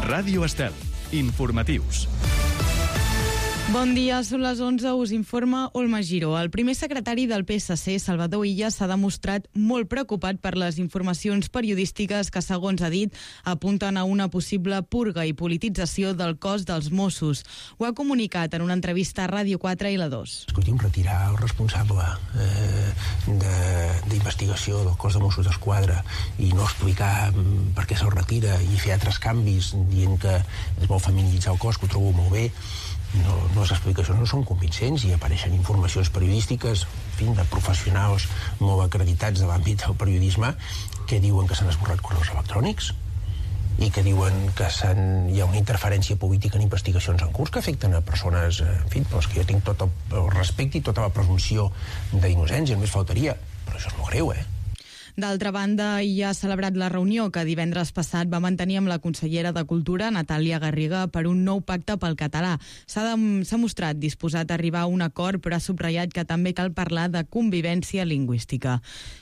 Ràdio Estel. Informatius. Bon dia, són les 11, us informa Olma Giró. El primer secretari del PSC, Salvador Illa, s'ha demostrat molt preocupat per les informacions periodístiques que, segons ha dit, apunten a una possible purga i politització del cos dels Mossos. Ho ha comunicat en una entrevista a Ràdio 4 i la 2. Escolti'm, retirar el responsable d'investigació del cos de Mossos d'Esquadra i no explicar per què se'l retira i fer altres canvis dient que es vol feminitzar el cos, que ho trobo molt bé. No, les explicacions no són convincents i apareixen informacions periodístiques de professionals molt acreditats de l'àmbit del periodisme que diuen que s'han esborrat correus electrònics i que diuen que hi ha una interferència política en investigacions en curs que afecten a persones, doncs que jo tinc tot el respecte i tota la presumpció d'innocència, només faltaria, però això és molt greu, D'altra banda, ja ha celebrat la reunió que divendres passat va mantenir amb la consellera de Cultura, Natàlia Garriga, per un nou pacte pel català. S'ha mostrat disposat a arribar a un acord, però ha subratllat que també cal parlar de convivència lingüística.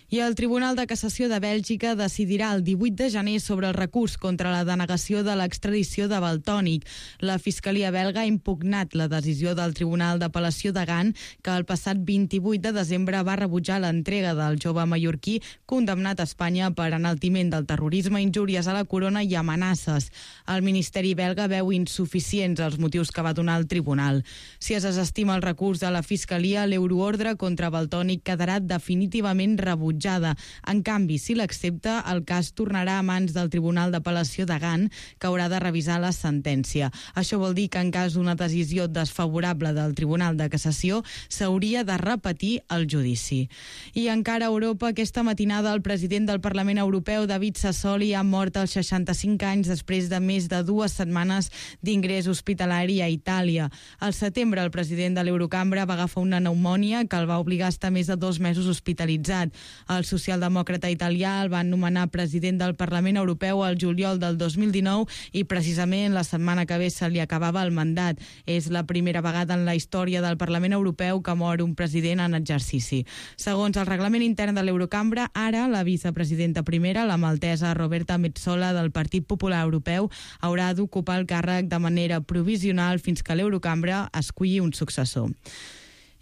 I el Tribunal de Cassació de Bèlgica decidirà el 18 de gener sobre el recurs contra la denegació de l'extradició de Valtònyc. La Fiscalia belga ha impugnat la decisió del Tribunal d'Apel·lació de Gant, que el passat 28 de desembre va rebutjar l'entrega del jove mallorquí condemnat a Espanya per enaltiment del terrorisme, injúries a la corona i amenaces. El Ministeri belga veu insuficients els motius que va donar el tribunal. Si es desestima el recurs de la Fiscalia, l'euroordre contra Valtònyc quedarà definitivament rebutjada. En canvi, si l'accepta, el cas tornarà a mans del Tribunal d'Apel·lació de Gant, que haurà de revisar la sentència. Això vol dir que en cas d'una decisió desfavorable del Tribunal de Cassació, s'hauria de repetir el judici. I encara a Europa, aquesta matinada el president del Parlament Europeu, David Sassoli, ha mort als 65 anys després de més de 2 setmanes d'ingrés hospitalari a Itàlia. Al setembre, el president de l'Eurocambra va agafar una pneumònia que el va obligar a estar més de 2 mesos hospitalitzat. El socialdemòcrata italià el va nomenar president del Parlament Europeu al juliol del 2019 i precisament la setmana que ve se li acabava el mandat. És la primera vegada en la història del Parlament Europeu que mor un president en exercici. Segons el reglament intern de l'Eurocambra, ara la vicepresidenta primera, la maltesa Roberta Metsola del Partit Popular Europeu, haurà d'ocupar el càrrec de manera provisional fins que l'Eurocambra esculli un successor.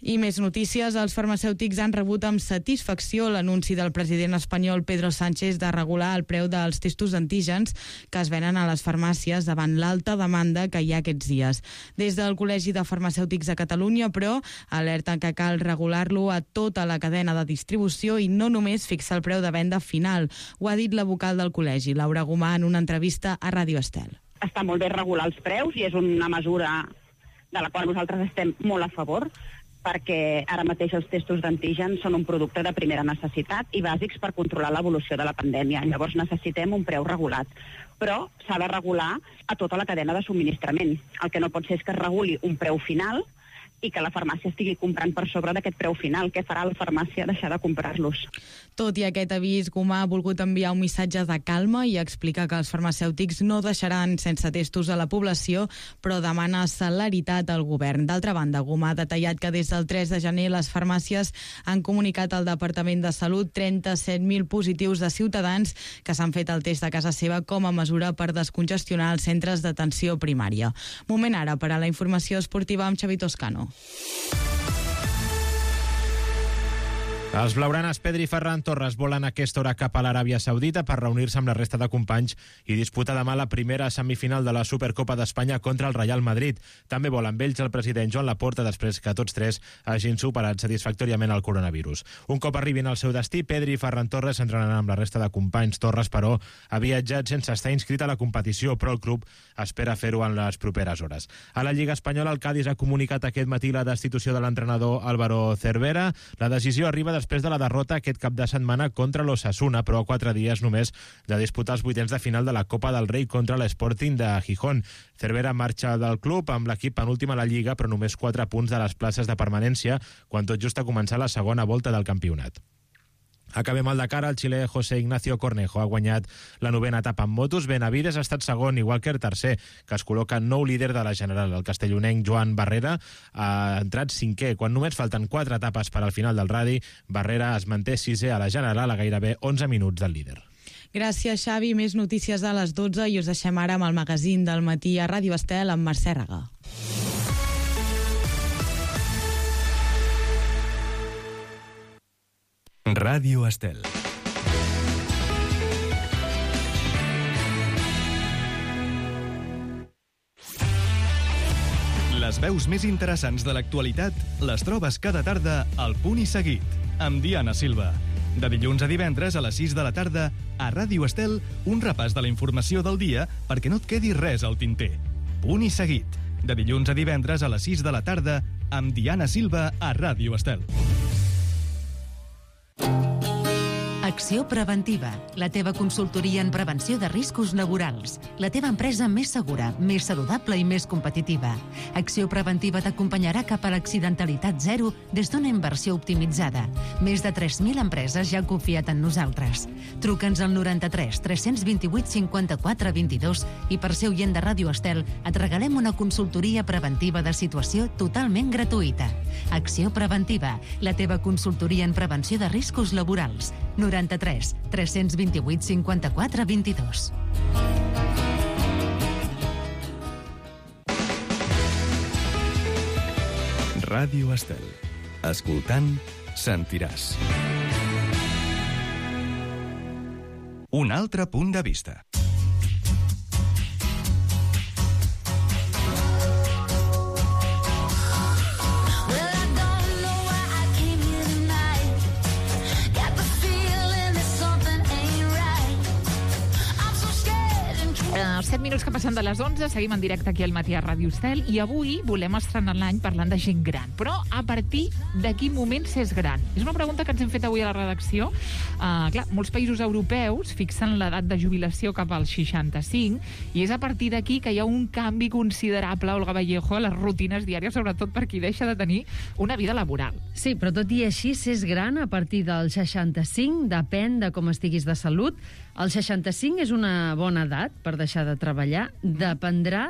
I més notícies, els farmacèutics han rebut amb satisfacció l'anunci del president espanyol Pedro Sánchez de regular el preu dels testos d'antígens que es venen a les farmàcies davant l'alta demanda que hi ha aquests dies. Des del Col·legi de Farmacèutics de Catalunya, però, alerten que cal regular-lo a tota la cadena de distribució i no només fixar el preu de venda final. Ho ha dit la vocal del col·legi, Laura Gomà, en una entrevista a Ràdio Estel. Està molt bé regular els preus i és una mesura de la qual nosaltres estem molt a favor, perquè ara mateix els testos d'antígen són un producte de primera necessitat i bàsics per controlar l'evolució de la pandèmia. Llavors necessitem un preu regulat, però s'ha de regular a tota la cadena de subministrament. El que no pot ser és que es reguli un preu final i que la farmàcia estigui comprant per sobre d'aquest preu final. Què farà la farmàcia? Deixar de comprar-los. Tot i aquest avís, Gomà ha volgut enviar un missatge de calma i explica que els farmacèutics no deixaran sense testos a la població, però demana celeritat al govern. D'altra banda, Gomà ha detallat que des del 3 de gener les farmàcies han comunicat al Departament de Salut 37.000 positius de ciutadans que s'han fet el test a casa seva com a mesura per descongestionar els centres d'atenció primària. Moment ara per a la informació esportiva amb Xavi Toscano. Els blaugranes Pedri i Ferran Torres volen a aquesta hora cap a l'Aràbia Saudita per reunir-se amb la resta de companys i disputar demà la primera semifinal de la Supercopa d'Espanya contra el Real Madrid. També vol amb ells el president Joan Laporta després que tots tres hagin superat satisfactòriament el coronavirus. Un cop arribin al seu destí, Pedri i Ferran Torres s'entrenaran amb la resta de companys. Torres, però, ha viatjat sense estar inscrit a la competició, però el club espera fer-ho en les properes hores. A la Lliga Espanyola, el Cádiz ha comunicat aquest matí la destitució de l'entrenador Álvaro Cervera. La decisió arriba després de la derrota aquest cap de setmana contra l'Osasuna, però a 4 dies només de disputar els vuitens de final de la Copa del Rei contra l'Sporting de Gijón. Cervera marxa del club amb l'equip penúltim a la Lliga, però només 4 punts de les places de permanència, quan tot just a començar la segona volta del campionat. Acabem al Dakar. El xilè José Ignacio Cornejo ha guanyat la 9ª etapa en motos. Benavides ha estat segon, igual que el tercer, que es col·loca nou líder de la general. El castellonenc Joan Barrera ha entrat 5è. Quan només falten 4 etapes per al final del radi, Barrera es manté 6è a la general a gairebé 11 minuts del líder. Gràcies, Xavi. Més notícies a les 12 i us deixem ara amb el magazín del matí a Ràdio Estel amb Mercè Regà. Ràdio Estel. Les veus més interessants de l'actualitat les trobes cada tarda al Punt i Seguit, amb Diana Silva. De dilluns a divendres a les 6 de la tarda, a Ràdio Estel, un repàs de la informació del dia perquè no et quedi res al tinter. Punt i Seguit. De dilluns a divendres a les 6 de la tarda, amb Diana Silva a Ràdio Estel. Acció Preventiva, la teva consultoria en prevenció de riscos laborals. La teva empresa més segura, més saludable i més competitiva. Acció Preventiva t'acompanyarà cap a l'accidentalitat zero des d'una inversió optimitzada. Més de 3.000 empreses ja han confiat en nosaltres. Truca'ns al 93 328 54 22 i per ser oient de Ràdio Estel et regalem una consultoria preventiva de situació totalment gratuïta. Acció Preventiva, la teva consultoria en prevenció de riscos laborals. 93 328 54 22. Ràdio Estel. Escoltant, sentiràs. Un altre punt de vista. Els 7 minuts que passen de les 11, seguim en directe aquí al matí a Ràdio Estel i avui volem estrenar l'any parlant de gent gran. Però a partir de quin moment s'és gran? És una pregunta que ens hem fet avui a la redacció. Clar, molts països europeus fixen l'edat de jubilació cap als 65 i és a partir d'aquí que hi ha un canvi considerable, Olga Vallejo, a les rutines diàries, sobretot per qui deixa de tenir una vida laboral. Sí, però tot i així, s'és gran a partir del 65, depèn de com estiguis de salut. El 65 és una bona edat per deixar de treballar. Dependrà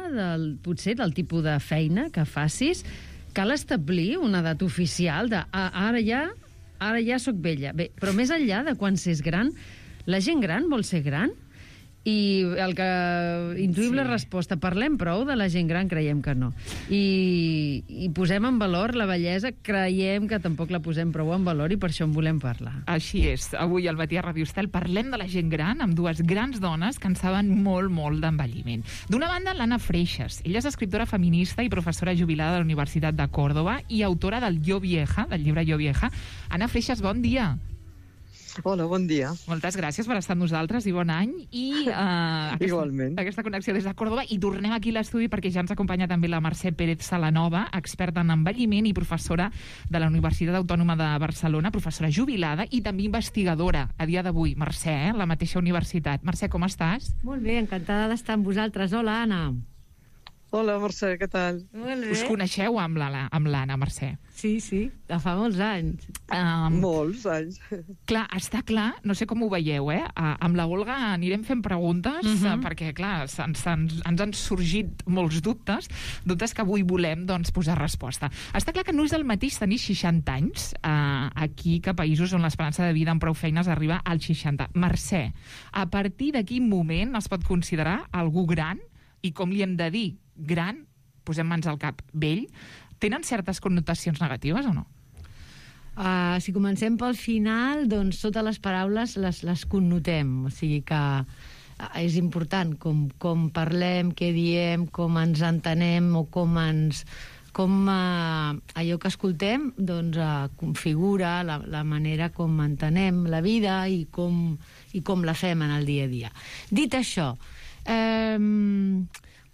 potser del tipus de feina que facis. Cal establir una edat oficial de ara ja soc vella. Bé, però més enllà de quan s'és gran, la gent gran vol ser gran? I el que intuïm la resposta, parlem prou de la gent gran? Creiem que no. I posem en valor la bellesa? Creiem que tampoc la posem prou en valor i per això en volem parlar. Així és. Avui al matí a Ràdio Estel parlem de la gent gran amb dues grans dones que en saben molt, molt d'envelliment. D'una banda, l'Anna Freixas. Ella és escriptora feminista i professora jubilada de la Universitat de Còrdova i autora del Yo Vieja, del llibre Yo Vieja. Anna Freixas, bon dia. Hola, bon dia. Moltes gràcies per estar amb nosaltres i bon any. I igualment. Aquesta connexió des de Còrdova. I tornem aquí a l'estudi perquè ja ens acompanya també la Mercè Pérez Salanova, experta en envelliment i professora de la Universitat Autònoma de Barcelona, professora jubilada i també investigadora a dia d'avui. Mercè, la mateixa universitat. Mercè, com estàs? Molt bé, encantada d'estar amb vosaltres. Hola, Anna. Hola, Mercè, què tal? Molt bé. Us coneixeu amb l'Anna, Mercè? Sí, de fa molts anys. Molts anys. Clar, està clar, no sé com ho veieu, amb la Olga anirem fent preguntes, perquè, clar, ens han sorgit molts dubtes que avui volem posar resposta. Està clar que no és el mateix tenir 60 anys aquí que a països on l'esperança de vida amb prou feines arriba als 60. Mercè, a partir de quin moment es pot considerar algú gran i com li hem de dir? Gran, posem mans al cap, vell, tenen certes connotacions negatives o no? Si comencem pel final, doncs totes les paraules les connotem. O sigui que és important com parlem, què diem, com ens entenem o com allò que escoltem configura la manera com entenem la vida i com la fem en el dia a dia. Dit això,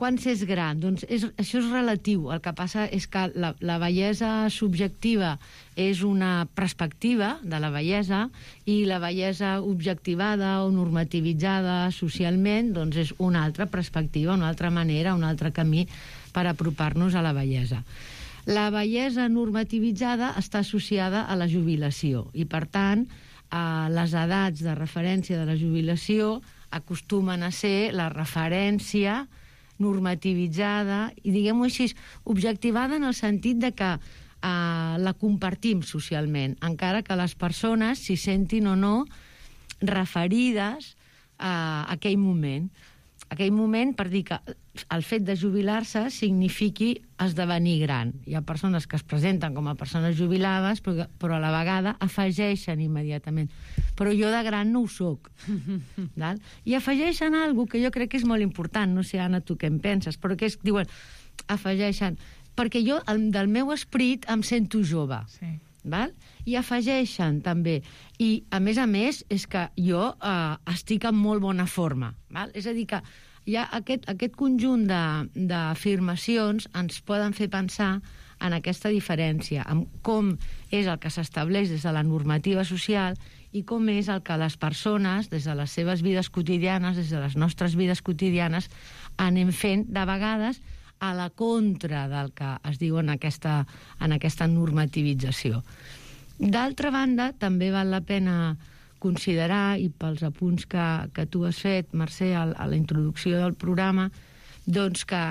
quan s'és gran? Doncs això és relatiu. El que passa és que la bellesa subjectiva és una perspectiva de la bellesa i la bellesa objectivada o normativitzada socialment doncs és una altra perspectiva, una altra manera, un altre camí per apropar-nos a la bellesa. La bellesa normativitzada està associada a la jubilació i, per tant, les edats de referència de la jubilació acostumen a ser la referència normativitzada i, diguem-ho així, objectivada en el sentit de que la compartim socialment, encara que les persones s'hi sentin o no referides aquell moment. Aquell moment per dir que el fet de jubilar-se signifiqui esdevenir gran. Hi ha persones que es presenten com a persones jubilades, però a la vegada afegeixen immediatament. Però jo de gran no ho soc. I afegeixen alguna cosa que jo crec que és molt important. No sé, Anna, tu què en penses? Però que diuen, afegeixen... Perquè jo, del meu esperit, em sento jove. Sí. Val? I afegeixen també, i a més és que jo estic en molt bona forma, val? És a dir que hi ha aquest conjunt d'afirmacions ens poden fer pensar en aquesta diferència, en com és el que s'estableix des de la normativa social i com és el que les persones, des de les seves vides quotidianes, des de les nostres vides quotidianes, anem fent de vegades a la contra del que es diu en aquesta normativització. D'altra banda, també val la pena considerar, i pels apunts que tu has fet, Mercè, a la introducció del programa, doncs que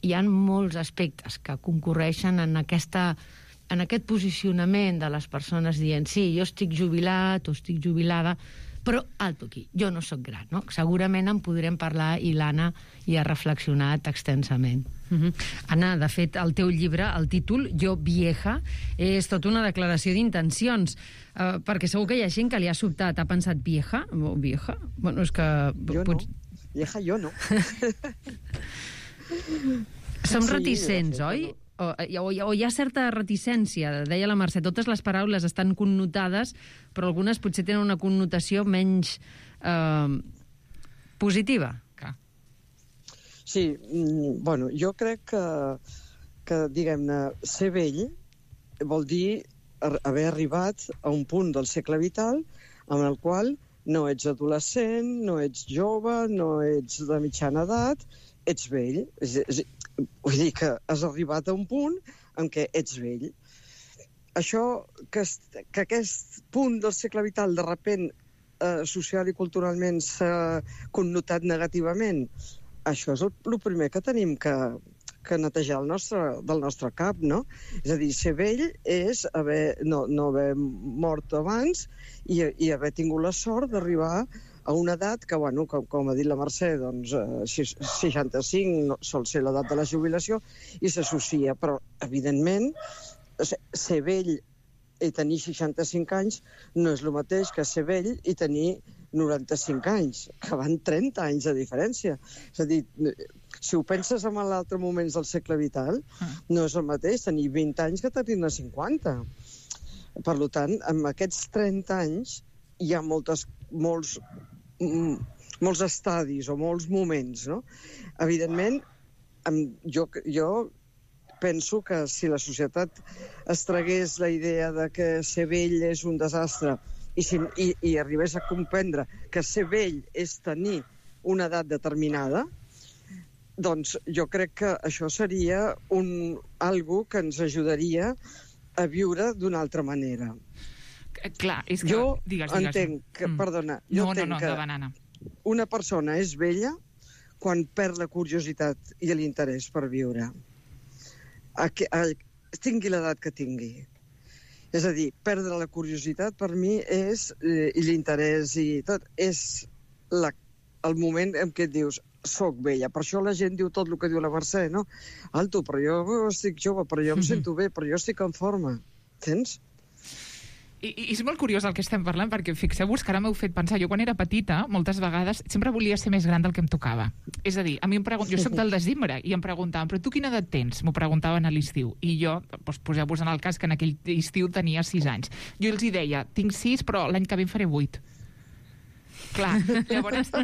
hi ha molts aspectes que concorreixen en aquest posicionament de les persones dient sí, jo estic jubilat o estic jubilada, però alto aquí, jo no sóc gran, no? Segurament en podrem parlar i l'Anna hi ha reflexionat extensament. Anna, de fet, el teu llibre, el títol, Jo vieja, és tota una declaració d'intencions, perquè segur que hi ha gent que li ha sobtat, ha pensat vieja o vieja? Bueno, és que... Jo no, vieja jo no. Som reticents, oi? O hi ha certa reticència, deia la Mercè, totes les paraules estan connotades, però algunes potser tenen una connotació menys positiva. Sí, bueno, jo crec que diguem-ne, ser vell vol dir haver arribat a un punt del segle vital en el qual no ets adolescent, no ets jove, no ets de mitjana edat, ets vell. Vull dir que has arribat a un punt en què ets vell. Això, que aquest punt del segle vital de sobte social i culturalment s'ha connotat negativament, això és el primer que tenim que netejar del nostre cap, no? És a dir, ser vell és no haver mort abans i haver tingut la sort d'arribar a una edat que, bueno, com ha dit la Mercè, doncs 65 sol ser l'edat de la jubilació i s'associa, però evidentment ser vell i tenir 65 anys no és el mateix que ser vell i tenir 95 anys, que van 30 anys de diferència. És a dir, si ho penses en l'altre moments del segle vital, no és el mateix tenir 20 anys que tenir-ne 50. Per tant, en aquests 30 anys hi ha molts estadis o molts moments, no? Evidentment, jo penso que si la societat es tragués la idea de que ser vell és un desastre i arribés a comprendre que ser vell és tenir una edat determinada, doncs jo crec que això seria algo que ens ajudaria a viure d'una altra manera. Clar, és que... Jo digues. Entenc que, perdona, jo entenc que una persona és vella quan perd la curiositat i l'interès per viure. Tingui l'edat que tingui. És a dir, perdre la curiositat per mi i l'interès i tot, és el moment en què et dius soc vella. Per això la gent diu tot el que diu la Mercè, no? Alto, però jo estic jove, però jo em sento bé, però jo estic en forma. Entens? I és molt curiós el que estem parlant, perquè fixeu-vos que ara m'heu fet pensar. Jo quan era petita, moltes vegades, sempre volia ser més gran del que em tocava. És a dir, a mi jo soc del desembre, i em preguntaven, però tu quina edat tens? M'ho preguntaven a l'estiu. I jo, poseu-vos en el cas que en aquell estiu tenia 6 anys. Jo els hi deia, tinc 6, però l'any que ve en faré 8. Clar, llavors...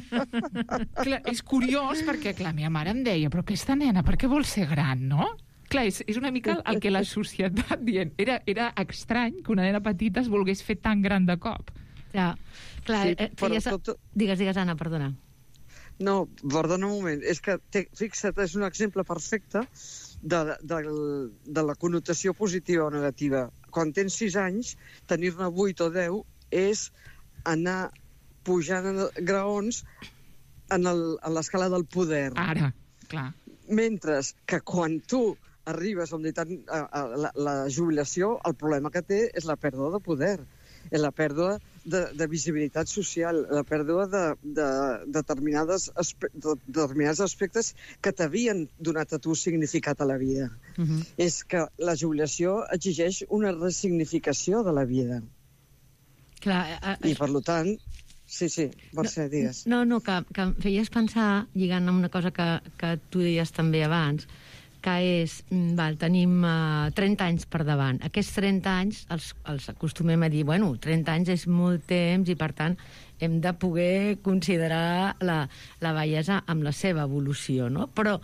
clar, és curiós perquè, clar, meva mare em deia, però aquesta nena, per què vol ser gran, no? Clar, és una mica el que la societat dient. Era estrany que una nena petita es volgués fer tan gran de cop. Ja, clar, sí, però digues, Anna, perdona. No, perdona un moment. És que, fixa't, és un exemple perfecte de la connotació positiva o negativa. Quan tens 6 anys, tenir-ne 8 o 10 és anar pujant graons en l'escala del poder. Ara, clar. Mentre que quan tu arribes a la jubilació, el problema que té és la pèrdua de poder, és la pèrdua de visibilitat social, la pèrdua de determinats aspectes que t'havien donat a tu significat a la vida. És que la jubilació exigeix una ressignificació de la vida. Clar, I, per tant... Sí, Mercè, digues. No, que em feies pensar, lligant amb una cosa que tu deies també abans, que és, tenim 30 anys per davant. Aquests 30 anys els acostumem a dir, 30 anys és molt temps i, per tant, hem de poder considerar la bellesa amb la seva evolució, no? Però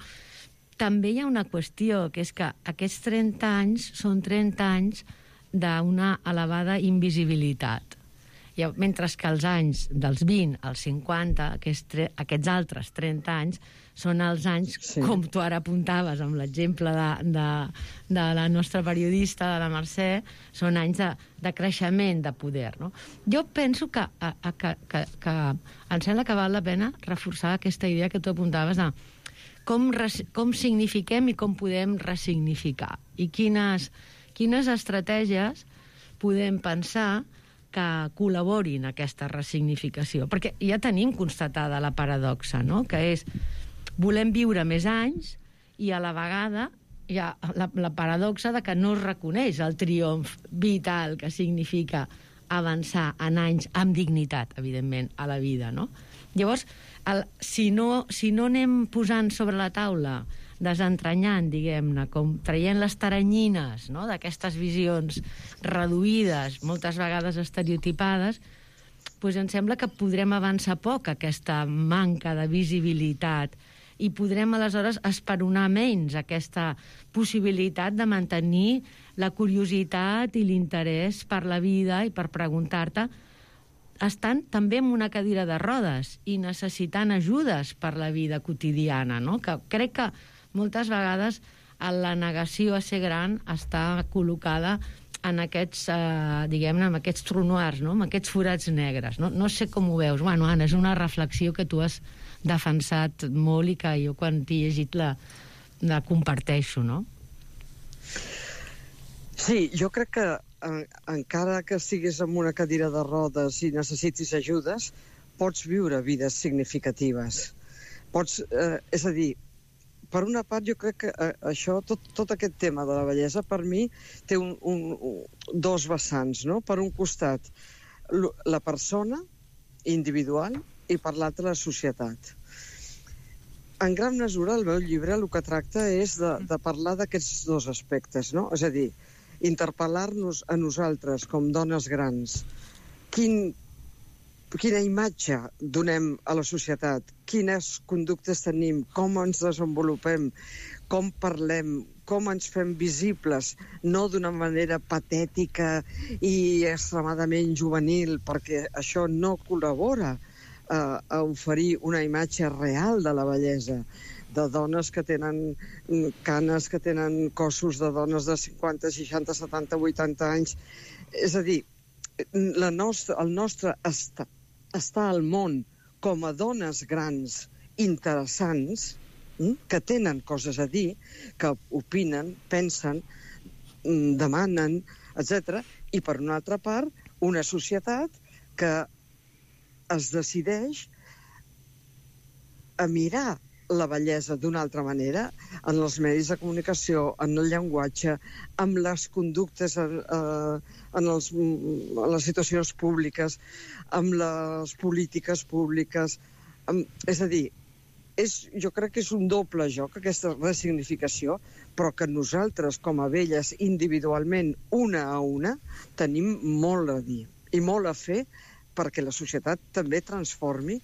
també hi ha una qüestió, que és que aquests 30 anys són 30 anys d'una elevada invisibilitat. Mentre que els anys dels 20 als 50, aquests altres 30 anys, són els anys, com tu ara apuntaves amb l'exemple de la nostra periodista, de la Mercè, són anys de creixement de poder, no? Jo penso que em sembla que val la pena reforçar aquesta idea que tu apuntaves de com signifiquem i com podem ressignificar. I quines estratègies podem pensar que col·laborin a aquesta ressignificació. Perquè ja tenim constatada la paradoxa, no? Que és, volem viure més anys i a la vegada hi ha la paradoxa de que no es reconeix el triomf vital que significa avançar en anys amb dignitat, evidentment, a la vida, no? Llavors, si no anem posant sobre la taula, desentranyant, diguem-ne, com traient les taranyines, no?, d'aquestes visions reduïdes, moltes vegades estereotipades, doncs em sembla que podrem avançar poc aquesta manca de visibilitat i podrem aleshores esperonar menys aquesta possibilitat de mantenir la curiositat i l'interès per la vida i per preguntar-te, estan també en una cadira de rodes i necessitant ajudes per la vida quotidiana, no? Que crec que moltes vegades la negació a ser gran està col·locada en aquests, diguem-ne, en aquests trous noirs, no? En aquests forats negres. No sé com ho veus. Bueno, Anna, és una reflexió que tu has defensat molt i que jo quan t'he llegit la comparteixo, no? Sí, jo crec que encara que estiguis en una cadira de rodes i necessitis ajudes, pots viure vides significatives. És a dir, per una part, jo crec que això, tot aquest tema de la bellesa, per mi, té dos vessants, no? Per un costat, la persona individual i per l'altre, la societat. En gran mesura, el meu llibre el que tracta és de parlar d'aquests dos aspectes, no? És a dir, interpel·lar-nos a nosaltres com dones grans. Quina imatge donem a la societat? Quines conductes tenim? Com ens desenvolupem? Com parlem? Com ens fem visibles? No d'una manera patètica i extremadament juvenil, perquè això no col·labora a oferir una imatge real de la bellesa, de dones que tenen canes, que tenen cossos de dones de 50, 60, 70, 80 anys. És a dir, el nostre estar al món com a dones grans interessants, que tenen coses a dir, que opinen, pensen, demanen, etc. I per una altra part, una societat que es decideix a mirar la bellesa d'una altra manera en els medis de comunicació, en el llenguatge, amb les conductes en les situacions públiques, amb les polítiques públiques. És a dir, jo crec que és un doble joc, aquesta ressignificació, però que nosaltres, com a velles, individualment, una a una, tenim molt a dir i molt a fer perquè la societat també transformi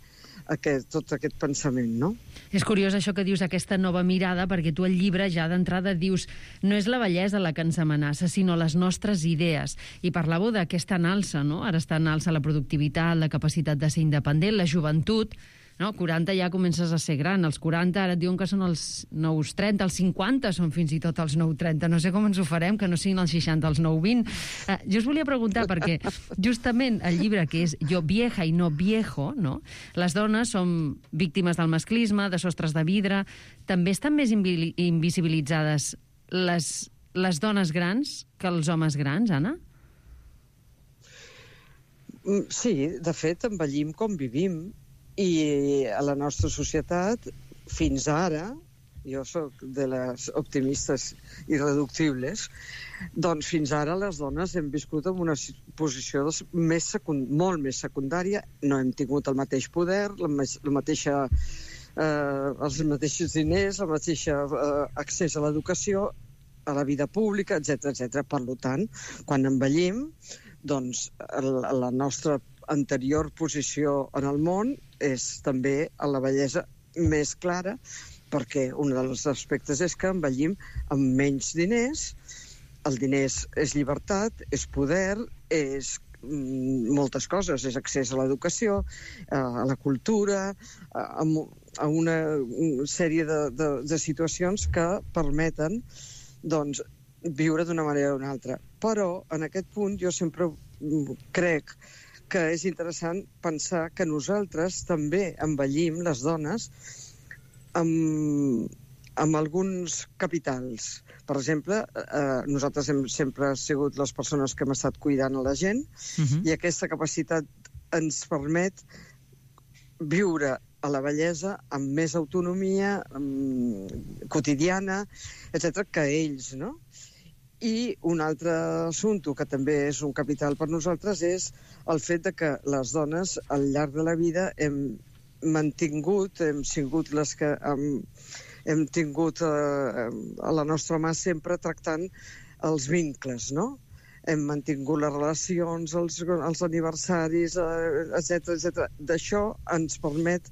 tot aquest pensament, no? És curiós això que dius, aquesta nova mirada, perquè tu al llibre ja d'entrada dius no és la bellesa la que ens amenaça, sinó les nostres idees. I parlàveu d'aquesta en alça, no? Ara està en alça la productivitat, la capacitat de ser independent, la joventut, no? 40 ja comences a ser gran, els 40 ara et diuen que són els nous 30, els 50 són fins i tot els nous 30, no sé com ens ho farem, que no siguin els 60, els nous 20. Jo us volia preguntar, perquè justament el llibre que és Jo vieja i no viejo, no? Les dones som víctimes del masclisme, de sostres de vidre, també estan més invisibilitzades les dones grans que els homes grans, Anna? Sí, de fet, envellim com vivim, i a la nostra societat, fins ara, jo sóc de les optimistes irreductibles, doncs fins ara les dones hem viscut en una posició molt més secundària, no hem tingut el mateix poder, els mateixos diners, el mateix accés a l'educació, a la vida pública, etc. Per tant, quan envellim, doncs la nostra anterior posició en el món és també a la bellesa més clara, perquè un dels aspectes és que envellim amb menys diners. El diners és llibertat, és poder, és moltes coses, és accés a l'educació, a la cultura, a una sèrie de situacions que permeten doncs, viure d'una manera o d'una altra. Però, en aquest punt, jo sempre crec que és interessant pensar que nosaltres també envellim, les dones, amb alguns capitals. Per exemple, nosaltres hem sempre sigut les persones que hem estat cuidant a la gent, i aquesta capacitat ens permet viure a la bellesa amb més autonomia quotidiana, etc., que ells, no? I un altre assumpte que també és un capital per nosaltres és el fet de que les dones al llarg de la vida hem sigut les que hem tingut a la nostra mà sempre tractant els vincles, no? Hem mantingut les relacions, els aniversaris, etc. D'això ens permet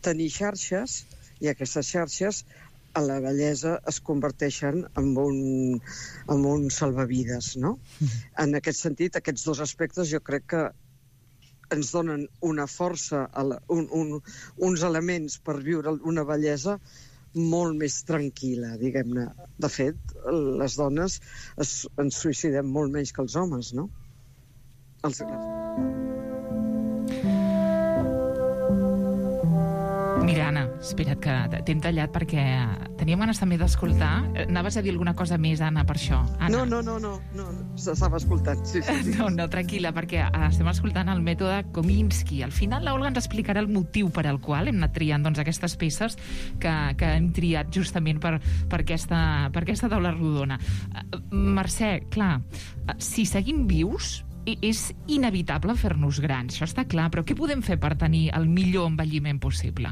tenir xarxes, i aquestes xarxes a la bellesa es converteixen en un salvavides, no? En aquest sentit, aquests dos aspectes jo crec que ens donen una força, uns elements per viure una bellesa molt més tranquil·la, diguem-ne. De fet, les dones ens suïcidem molt menys que els homes, no? Mira, Anna, espera't que t'hem tallat perquè teníem ganes també d'escoltar. Anaves a dir alguna cosa més, Anna, per això? Anna. No, s'estava escoltant, sí. No, tranquil·la, perquè estem escoltant el mètode Kominsky. Al final l'Olga ens explicarà el motiu per al qual hem anat triant aquestes peces que hem triat justament per aquesta taula rodona. Mercè, clar, si seguim vius, és inevitable fer-nos grans, això està clar, però què podem fer per tenir el millor envelliment possible?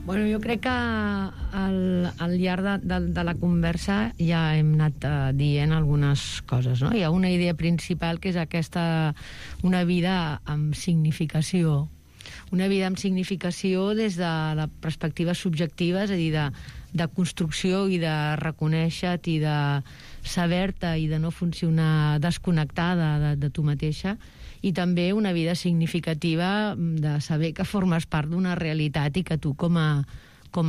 Bueno, jo crec que al llarg de la conversa ja hem anat dient algunes coses, no? Hi ha una idea principal que és aquesta, una vida amb significació. Una vida amb significació des de la perspectiva subjectiva, és a dir, de construcció i de reconèixer-te i de saber-te i de no funcionar desconnectada de tu mateixa, i també una vida significativa de saber que formes part d'una realitat i que tu com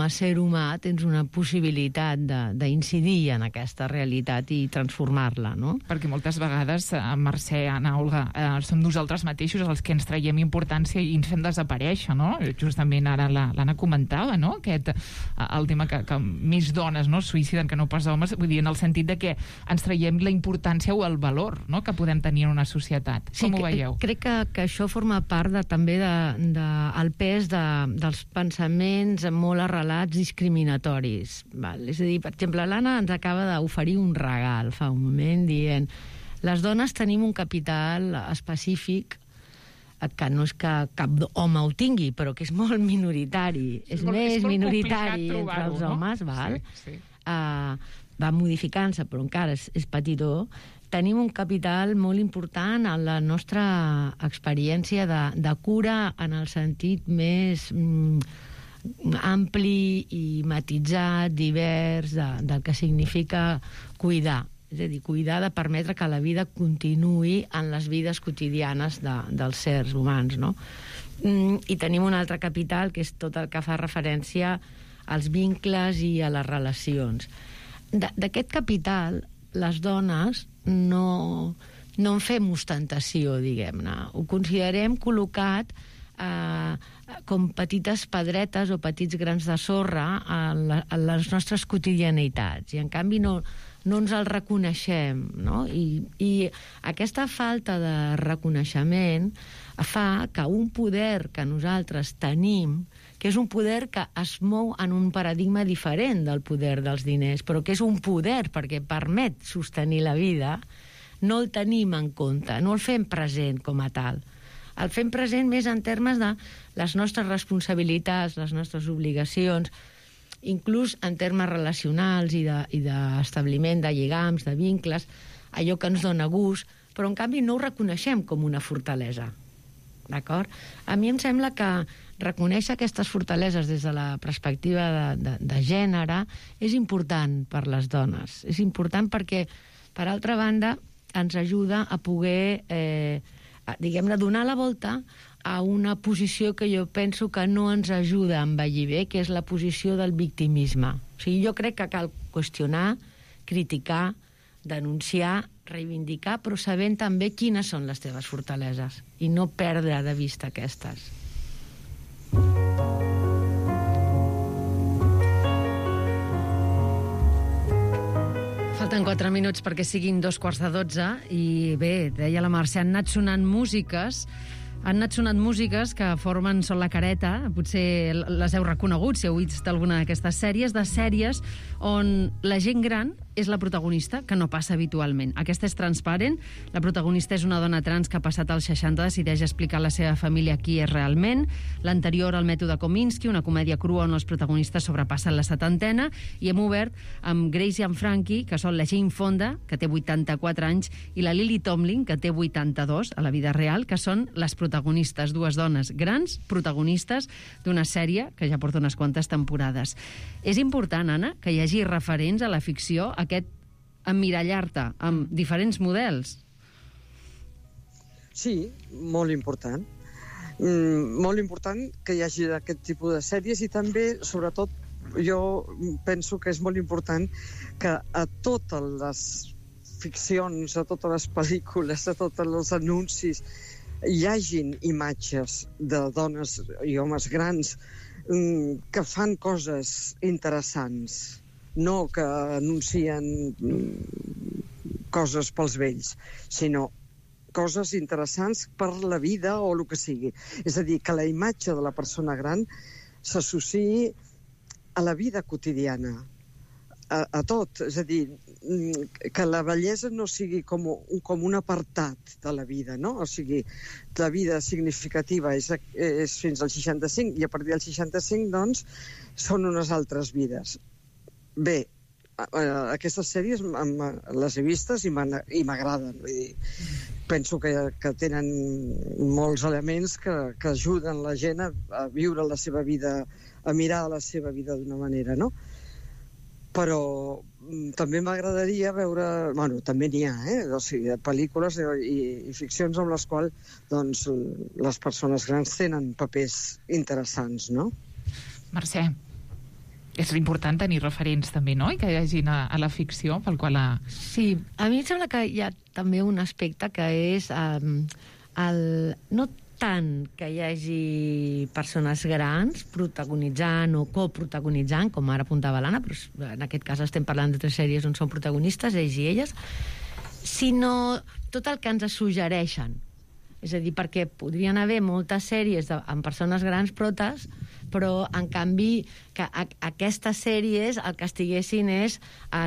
a ser humà tens una possibilitat d'incidir en aquesta realitat i transformar-la, no? Perquè moltes vegades, Mercè, Anna, Olga, som nosaltres mateixos els que ens traiem importància i ens fem desaparèixer, no? Justament ara l'Anna comentava, no? El tema que més dones suïciden que no pas homes, vull dir, en el sentit de que ens traiem la importància o el valor, no?, que podem tenir en una societat. Sí, com ho veieu? Crec que això forma part també del pes dels pensaments molt arrelats discriminatoris. Val? És a dir, per exemple, l'Anna ens acaba d'oferir un regal fa un moment dient les dones tenim un capital específic que no és que cap home ho tingui, però que és molt minoritari. És més minoritari entre els homes, val? Sí. Va modificant-se, però encara és petitó. Tenim un capital molt important en la nostra experiència de cura en el sentit més ampli i matitzat, divers, del que significa cuidar. És a dir, cuidar de permetre que la vida continuï en les vides quotidianes dels sers humans, no? I tenim un altre capital, que és tot el que fa referència als vincles i a les relacions. D'aquest capital, les dones no en fem ostentació, diguem-ne. Ho considerem col·locat com petites pedretes o petits grans de sorra a les nostres quotidianitats, i en canvi no no ens el reconeixem, no? I aquesta falta de reconeixement fa que un poder que nosaltres tenim, que és un poder que es mou en un paradigma diferent del poder dels diners, però que és un poder perquè permet sostenir la vida, no el tenim en compte, no el fem present com a tal. El fem present més en termes de les nostres responsabilitats, les nostres obligacions, inclús en termes relacionals i d'establiment de lligams, de vincles, allò que ens dona gust, però en canvi no ho reconeixem com una fortalesa. D'acord? A mi em sembla que reconèixer aquestes fortaleses des de la perspectiva de gènere és important per les dones. És important perquè, per altra banda, ens ajuda a poder, diguem-ne, donar la volta a una posició que jo penso que no ens ajuda a envellir bé, que és la posició del victimisme. O sigui, jo crec que cal qüestionar, criticar, denunciar, reivindicar, però sabent també quines són les teves fortaleses i no perdre de vista aquestes. Falten 4 minuts perquè siguin 2:45 i bé, deia la Mercè, han anat sonant músiques que formen Són la careta, potser les heu reconegut si heu vist alguna d'aquestes sèries, de sèries on la gent gran és la protagonista, que no passa habitualment. Aquesta és Transparent. La protagonista és una dona trans que ha passat als 60 decideix explicar a la seva família qui és realment. L'anterior, El mètode Kominsky, una comèdia crua on els protagonistes sobrepassen la setantena. I hem obert amb Grace i en Frankie, que són la Jane Fonda, que té 84 anys, i la Lily Tomlin, que té 82 a la vida real, que són les protagonistes, dues dones grans, protagonistes d'una sèrie que ja porta unes quantes temporades. És important, Anna, que hi hagi referents a la ficció, aquest emmirallar-te amb diferents models. Sí, molt important. Molt important que hi hagi aquest tipus de sèries i també, sobretot, jo penso que és molt important que a totes les ficcions, a totes les pel·lícules, a tots els anuncis, hi hagin imatges de dones i homes grans que fan coses interessants, no que anuncien coses pels vells, sinó coses interessants per la vida o el que sigui. És a dir, que la imatge de la persona gran s'associï a la vida quotidiana, a tot. És a dir, que la bellesa no sigui com un apartat de la vida, no? O sigui, la vida significativa és fins al 65 i a partir del 65, doncs, són unes altres vides. Bé, aquestes sèries les he vistes i m'agraden. Penso que tenen molts elements que ajuden la gent a viure la seva vida, a mirar la seva vida d'una manera, no? Però també m'agradaria veure... Bueno, també n'hi ha, o sigui, pel·lícules i ficcions amb les quals doncs, les persones grans tenen papers interessants, no? Mercè, és important tenir referents també, no?, i que hi hagin a la ficció pel qual... Sí, a mi em sembla que hi ha també un aspecte que és no tant que hi hagi persones grans protagonitzant o coprotagonitzant, com ara apuntava l'Anna, però en aquest cas estem parlant de 3 sèries on són protagonistes, ells i elles, sinó tot el que ens suggereixen. És a dir, perquè podrien haver moltes sèries amb persones grans protes, però en canvi que aquestes sèries el que estiguessin és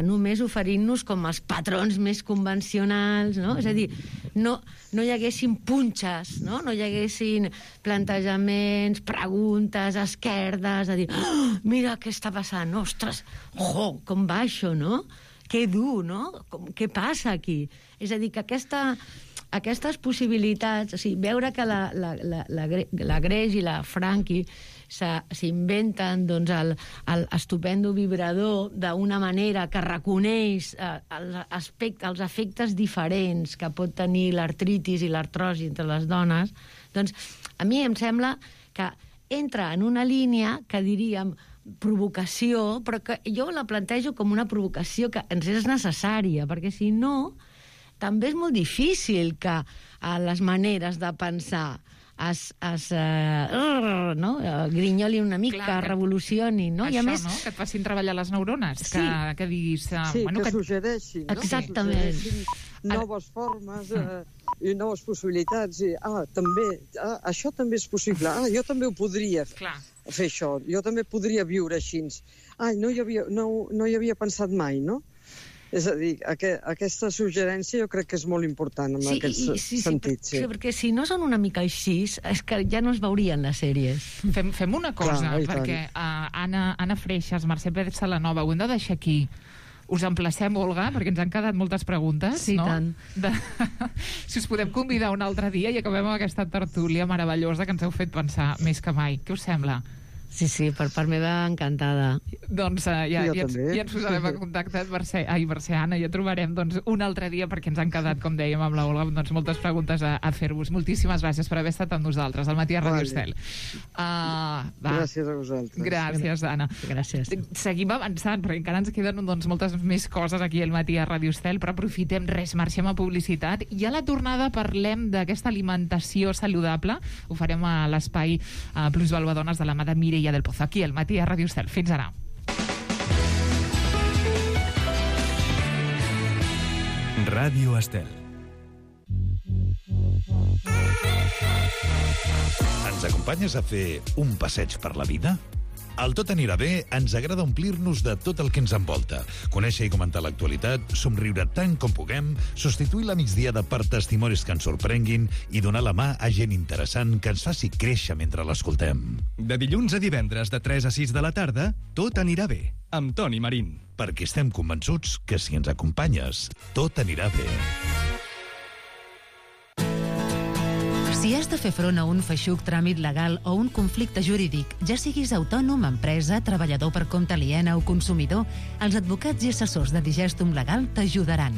només oferint-nos com els patrons més convencionals, no? És a dir, no hi haguessin punxes, no hi haguessin plantejaments, preguntes, esquerdes, a dir, mira què està passant, ostres, com va això, no? Que dur, no? Què passa aquí? És a dir, que aquestes possibilitats, o sigui, veure que la Grace i la Frankie s'inventen doncs, el estupendo vibrador d'una manera que reconeix els efectes diferents que pot tenir l'artritis i l'artrosi entre les dones, doncs a mi em sembla que entra en una línia que diríem provocació, però que jo la plantejo com una provocació que ens és necessària, perquè si no també és molt difícil que les maneres de pensar grinyoli una mica, revolucioni, no? Això, no? Que et facin treballar les neurones, que diguis... Sí, que suggereixin, no? Exactament. Noves formes i noves possibilitats. Això també és possible. Jo també ho podria fer, això. Jo també podria viure així. No hi havia pensat mai, no? És a dir, aquesta suggerència jo crec que és molt important en aquest sentit. Sí, perquè si no són una mica així, és que ja no es veurien les sèries. Fem una cosa, perquè Anna Freixas, Mercè Pérez Salanova, ho hem de deixar aquí. Us emplacem, Olga, perquè ens han quedat moltes preguntes, sí, no? Tant. Si us podem convidar un altre dia i acabem amb aquesta tertúlia meravellosa que ens heu fet pensar més que mai. Què us sembla? Sí, per part meva, encantada. Doncs ja ens posarem en contacte, Mercè, Anna, ja trobarem un altre dia, perquè ens han quedat, com dèiem, amb la Olga, moltes preguntes a fer-vos. Moltíssimes gràcies per haver estat amb nosaltres, al Matí a Ràdio Estel. Gràcies a vosaltres. Gràcies, Anna. Gràcies. Seguim avançant, perquè encara ens queden moltes més coses aquí al Matí a Ràdio Estel, però aprofitem, marxem a publicitat, i a la tornada parlem d'aquesta alimentació saludable. Ho farem a l'espai Plusvalua Dones de la mà de Mireia del Pozo, aquí al Matí a Ràdio Estel. Fins ara. Ràdio Estel. Ens acompanyes a fer un passeig per la vida? Al Tot anirà bé ens agrada omplir-nos de tot el que ens envolta, conèixer i comentar l'actualitat, somriure tant com puguem, substituir la migdiada per testimonis que ens sorprenguin i donar la mà a gent interessant que ens faci créixer mentre l'escoltem. De dilluns a divendres de 3 a 6 de la tarda, Tot anirà bé, amb Toni Marín. Perquè estem convençuts que si ens acompanyes, tot anirà bé. Si has de fer front a un feixuc tràmit legal o un conflicte jurídic, ja siguis autònom, empresa, treballador per compte aliena o consumidor, els advocats i assessors de Digestum Legal t'ajudaran.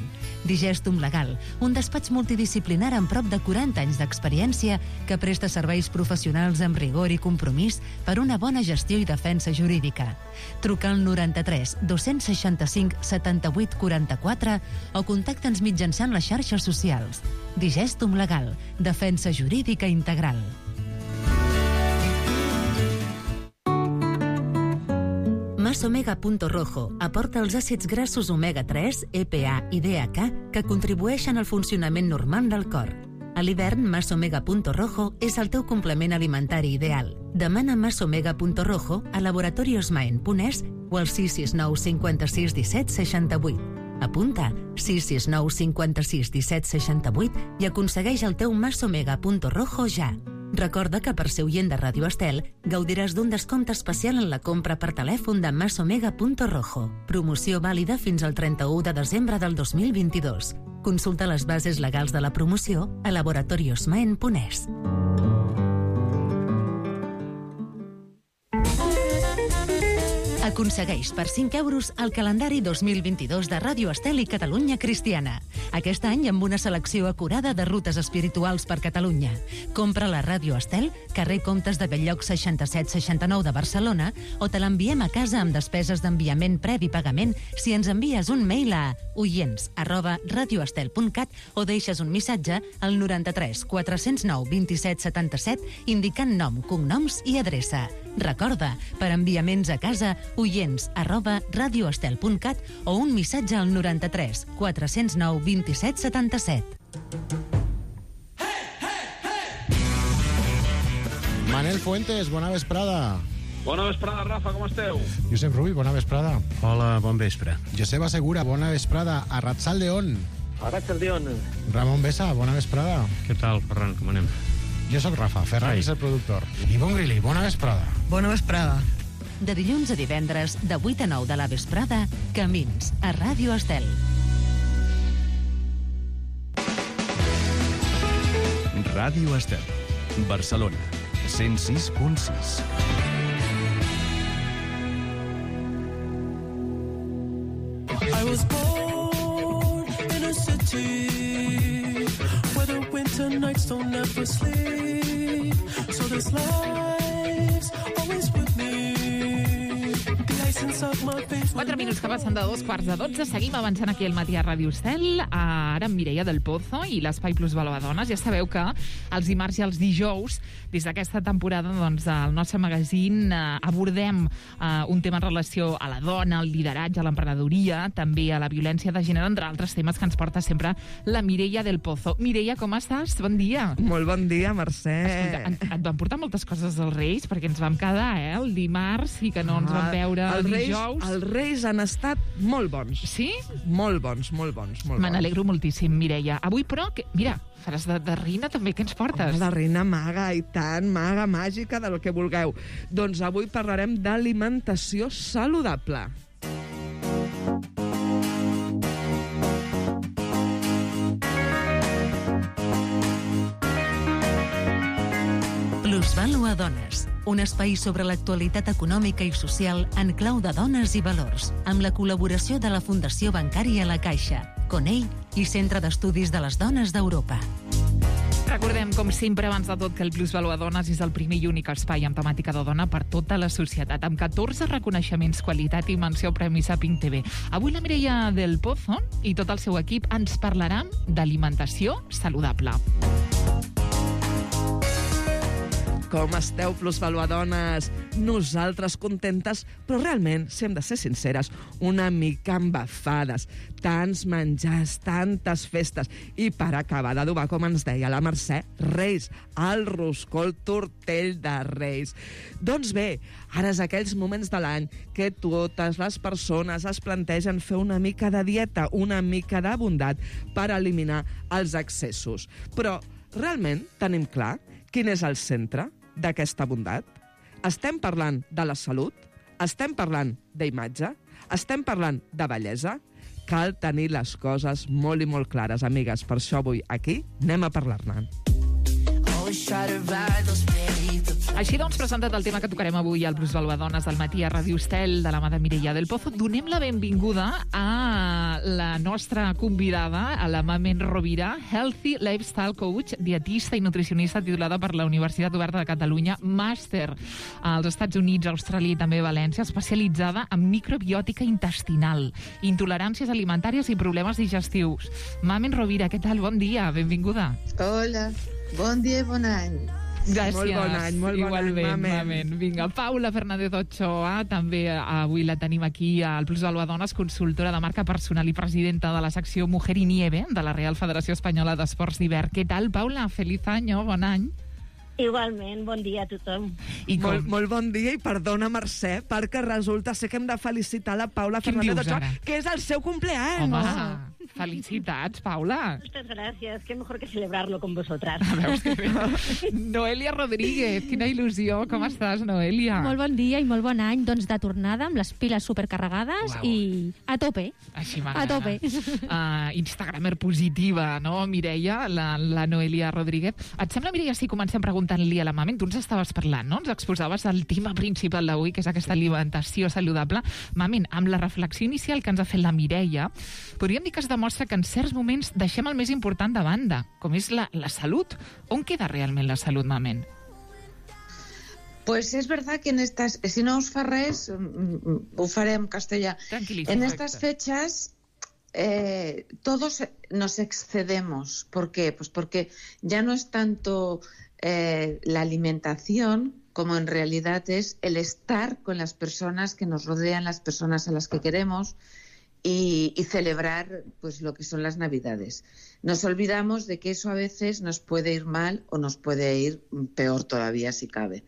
Digestum Legal, un despatx multidisciplinar amb prop de 40 anys d'experiència que presta serveis professionals amb rigor i compromís per una bona gestió i defensa jurídica. Truca al 93 265 78 44 o contacta'ns mitjançant les xarxes socials. Digestum Legal, defensa jurídica integral. Masomega.rojo aporta els àcids grassos omega-3, EPA i DHA que contribueixen al funcionament normal del cor. A l'hivern, Masomega.rojo és el teu complement alimentari ideal. Demana Masomega.rojo a Laboratorios Maen.es o al 669 56 17 68. Apunta 669 56 17 68 i aconsegueix el teu Masomega.rojo ja. Recorda que per ser oient de Ràdio Estel gaudiràs d'un descompte especial en la compra per telèfon de Masomega.rojo. Promoció vàlida fins al 31 de desembre del 2022. Consulta les bases legals de la promoció a laboratoriosmaen.es. Aconsegueix per 5 euros el calendari 2022 de Ràdio Estel i Catalunya Cristiana. Aquest any amb una selecció acurada de rutes espirituals per Catalunya. Compra la Ràdio Estel, carrer Comtes de Belllloc 6769 de Barcelona, o te l'enviem a casa amb despeses d'enviament previ pagament si ens envies un mail a oients@radioestel.cat o deixes un missatge al 93 409 27 77 indicant nom, cognoms i adreça. Recorda, per enviaments a casa, oients@radioestel.cat o un missatge al 93 409 27 77. Manel Fuentes, bona vesprada. Bona vesprada, Rafa, com esteu? Josep Rull, bona vesprada. Hola, bon vespre. Joseba Segura, bona vesprada. Arratsaldeon. Arratsaldeon. Ramon Besa, bona vesprada. Què tal, Ferran, com anem? Jo sóc Rafa, Ferran és el productor. Ivonne Grilli, bona vesprada. Bona vesprada. De dilluns a divendres, de 8 a 9 de la vesprada, Camins, a Ràdio Estel. Ràdio Estel, Barcelona, 106.6. I was born in a city where the winter nights don't ever sleep. So this life's always with me. The ice inside my face. 4 minuts que passen de 2:45. Seguim avançant aquí al matí a Ràdio Estel. Ara amb Mireia del Pozo i l'Espai Plus Valor a Dones. Ja sabeu que els dimarts i els dijous, des d'aquesta temporada, doncs, al nostre magazín abordem un tema en relació a la dona, al lideratge, a l'emprenedoria, també a la violència de gènere, entre altres temes que ens porta sempre la Mireia del Pozo. Mireia, com estàs? Bon dia. Molt bon dia, Mercè. Escolta, et van portar moltes coses dels Reis, perquè ens vam quedar, el dimarts, i que no ens vam veure dijous. Els Reis han estat molt bons. Sí? Molt bons, molt bons. Me n'alegro moltíssim, Mireia. Avui, però, mira, faràs de reina també. Què ens portes? De reina maga, i tant, maga, màgica, del que vulgueu. Doncs avui parlarem d'alimentació saludable. Plusvalor a Dones, un espai sobre l'actualitat econòmica i social en clau de dones i valors, amb la col·laboració de la Fundació Bancària La Caixa, Conell i Centre d'Estudis de les Dones d'Europa. Recordem, com sempre, abans de tot, que el Plusvalor a Dones és el primer i únic espai amb temàtica de dona per tota la societat, amb 14 reconeixements, qualitat i menció Premi Saping TV. Avui la Mireia del Pozo i tot el seu equip ens parlaran d'alimentació saludable. Com esteu, Plusvalor a Dones? Nosaltres contentes, però realment, si hem de ser sinceres, una mica embafades. Tants menjars, tantes festes. I per acabar d'adobar, com ens deia la Mercè, Reis, el roscó, el tortell de Reis. Doncs bé, ara és aquells moments de l'any que totes les persones es plantegen fer una mica de dieta, una mica de bondat per eliminar els excessos. Però realment tenim clar quin és el centre d'aquesta bondat? Estem parlant de la salut? Estem parlant d'imatge? Estem parlant de bellesa? Cal tenir les coses molt i molt clares, amigues. Per això avui aquí anem a parlar-ne. Així doncs, presentat el tema que tocarem avui al Plusvalor a Dones del matí a Ràdio Estel de la mà de Mireia del Pozo, donem la benvinguda a la nostra convidada, a la Mamen Rovira, Healthy Lifestyle Coach, dietista i nutricionista titulada per la Universitat Oberta de Catalunya, màster als Estats Units, Austràlia i també València, especialitzada en microbiòtica intestinal, intoleràncies alimentàries i problemes digestius. Mamen Rovira, què tal? Bon dia, benvinguda. Hola, bon dia i bon any. Gràcies. Molt bon any, Igualment, Mamen. Vinga, Paula Fernández Ochoa, també avui la tenim aquí al Plusvalor a Dones, consultora de marca personal i presidenta de la secció Mujer y Nieve de la Real Federació Espanyola d'Esports d'Hivern. Què tal, Paula? Feliz año, bon any. Igualment, bon dia a tothom. Molt bon dia i perdona, Mercè, perquè resulta ser que hem de felicitar la Paula Fernández Ochoa, que és el seu cumpleaños. Home, felicitats, Paula. Muchas gracias, qué mejor que celebrarlo con vosotras. Veus que bé. Noelia Rodríguez, quina il·lusió. Com estàs, Noelia? Molt bon dia i molt bon any, doncs de tornada amb les piles supercarregades. Uau. I a tope. Així m'agrada. A tope. Instagramer positiva, no, Mireia, la Noelia Rodríguez. Et sembla, Mireia, si comencem preguntant-li a la Mamen, tu ens estaves parlant, no? Ens exposaves el tema principal d'avui, que és aquesta alimentació saludable. Mamen, amb la reflexió inicial que ens ha fet la Mireia, podríem dir que es demostra que en certs moments deixem el més important de banda, com és la salut. On queda realment la salut, Mamen? Pues es verdad que si no os fa res, ho faré en castellà. En estas fechas todos nos excedemos. ¿Por qué? Pues porque ya no es tanto la alimentación como en realidad es el estar con las personas que nos rodean, las personas a las que queremos, y celebrar pues lo que son las Navidades. Nos olvidamos de que eso a veces nos puede ir mal o nos puede ir peor todavía si cabe.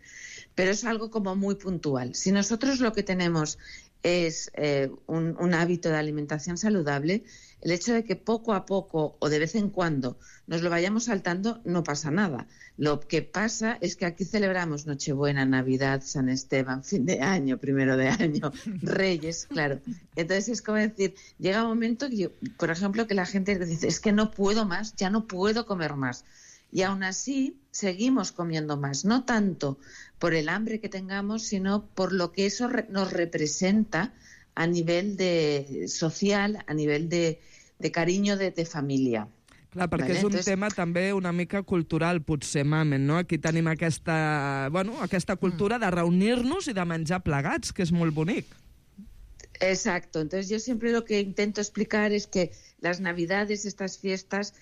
Pero es algo como muy puntual. Si nosotros lo que tenemos es un hábito de alimentación saludable, el hecho de que poco a poco o de vez en cuando nos lo vayamos saltando no pasa nada. Lo que pasa es que aquí celebramos Nochebuena, Navidad, San Esteban, fin de año, primero de año, Reyes, claro. Entonces es como decir, llega un momento que, por ejemplo, que la gente dice, es que no puedo más, ya no puedo comer más. Y aún así seguimos comiendo más, no tanto por el hambre que tengamos, sino por lo que eso nos representa a nivel social, a nivel de carinyo de família. Clar, perquè és un tema també una mica cultural, potser, Mamen, no? Aquí tenim aquesta cultura de reunir-nos i de menjar plegats, que és molt bonic. Exacto. Entonces yo siempre lo que intento explicar es que las Navidades, estas fiestas,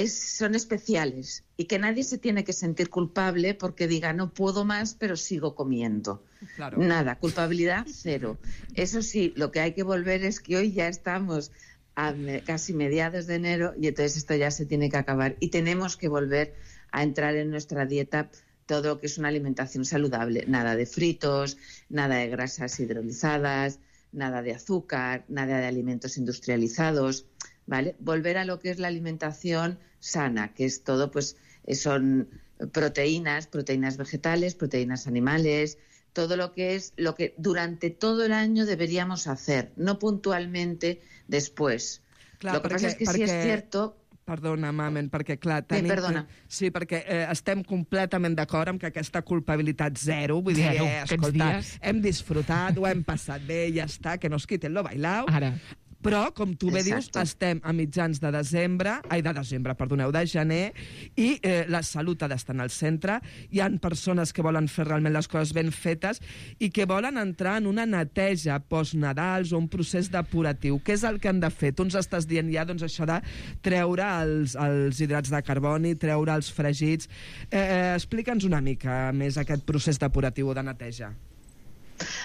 son especiales y que nadie se tiene que sentir culpable porque diga no puedo más pero sigo comiendo. Claro. Nada, culpabilidad cero. Eso sí, lo que hay que volver es que hoy ya estamos a casi mediados de enero y entonces esto ya se tiene que acabar y tenemos que volver a entrar en nuestra dieta todo lo que es una alimentación saludable. Nada de fritos, nada de grasas hidrolizadas, nada de azúcar, nada de alimentos industrializados, ¿vale? Volver a lo que es la alimentación sana, que es todo, pues son proteínas vegetales, proteínas animales, todo lo que es lo que durante todo el año deberíamos hacer, no puntualmente después. Clar, lo que passa és que sí és cierto... Perdona, Mamen, perquè clar... Perdona. Sí, perquè estem completament d'acord amb que aquesta culpabilitat zero, vull dir, escolta, hem disfrutat, ho hem passat bé, ja està, que nos quiten lo bailao. Ara. Però, com tu bé dius, estem a mitjans de gener, i la salut ha d'estar en el centre. Hi ha persones que volen fer realment les coses ben fetes i que volen entrar en una neteja post-Nadals o un procés depuratiu. Què és el que han de fer? Tu ens estàs dient ja doncs, això de treure els hidrats de carboni, treure els fregits. Explica'ns una mica més aquest procés depuratiu o de neteja.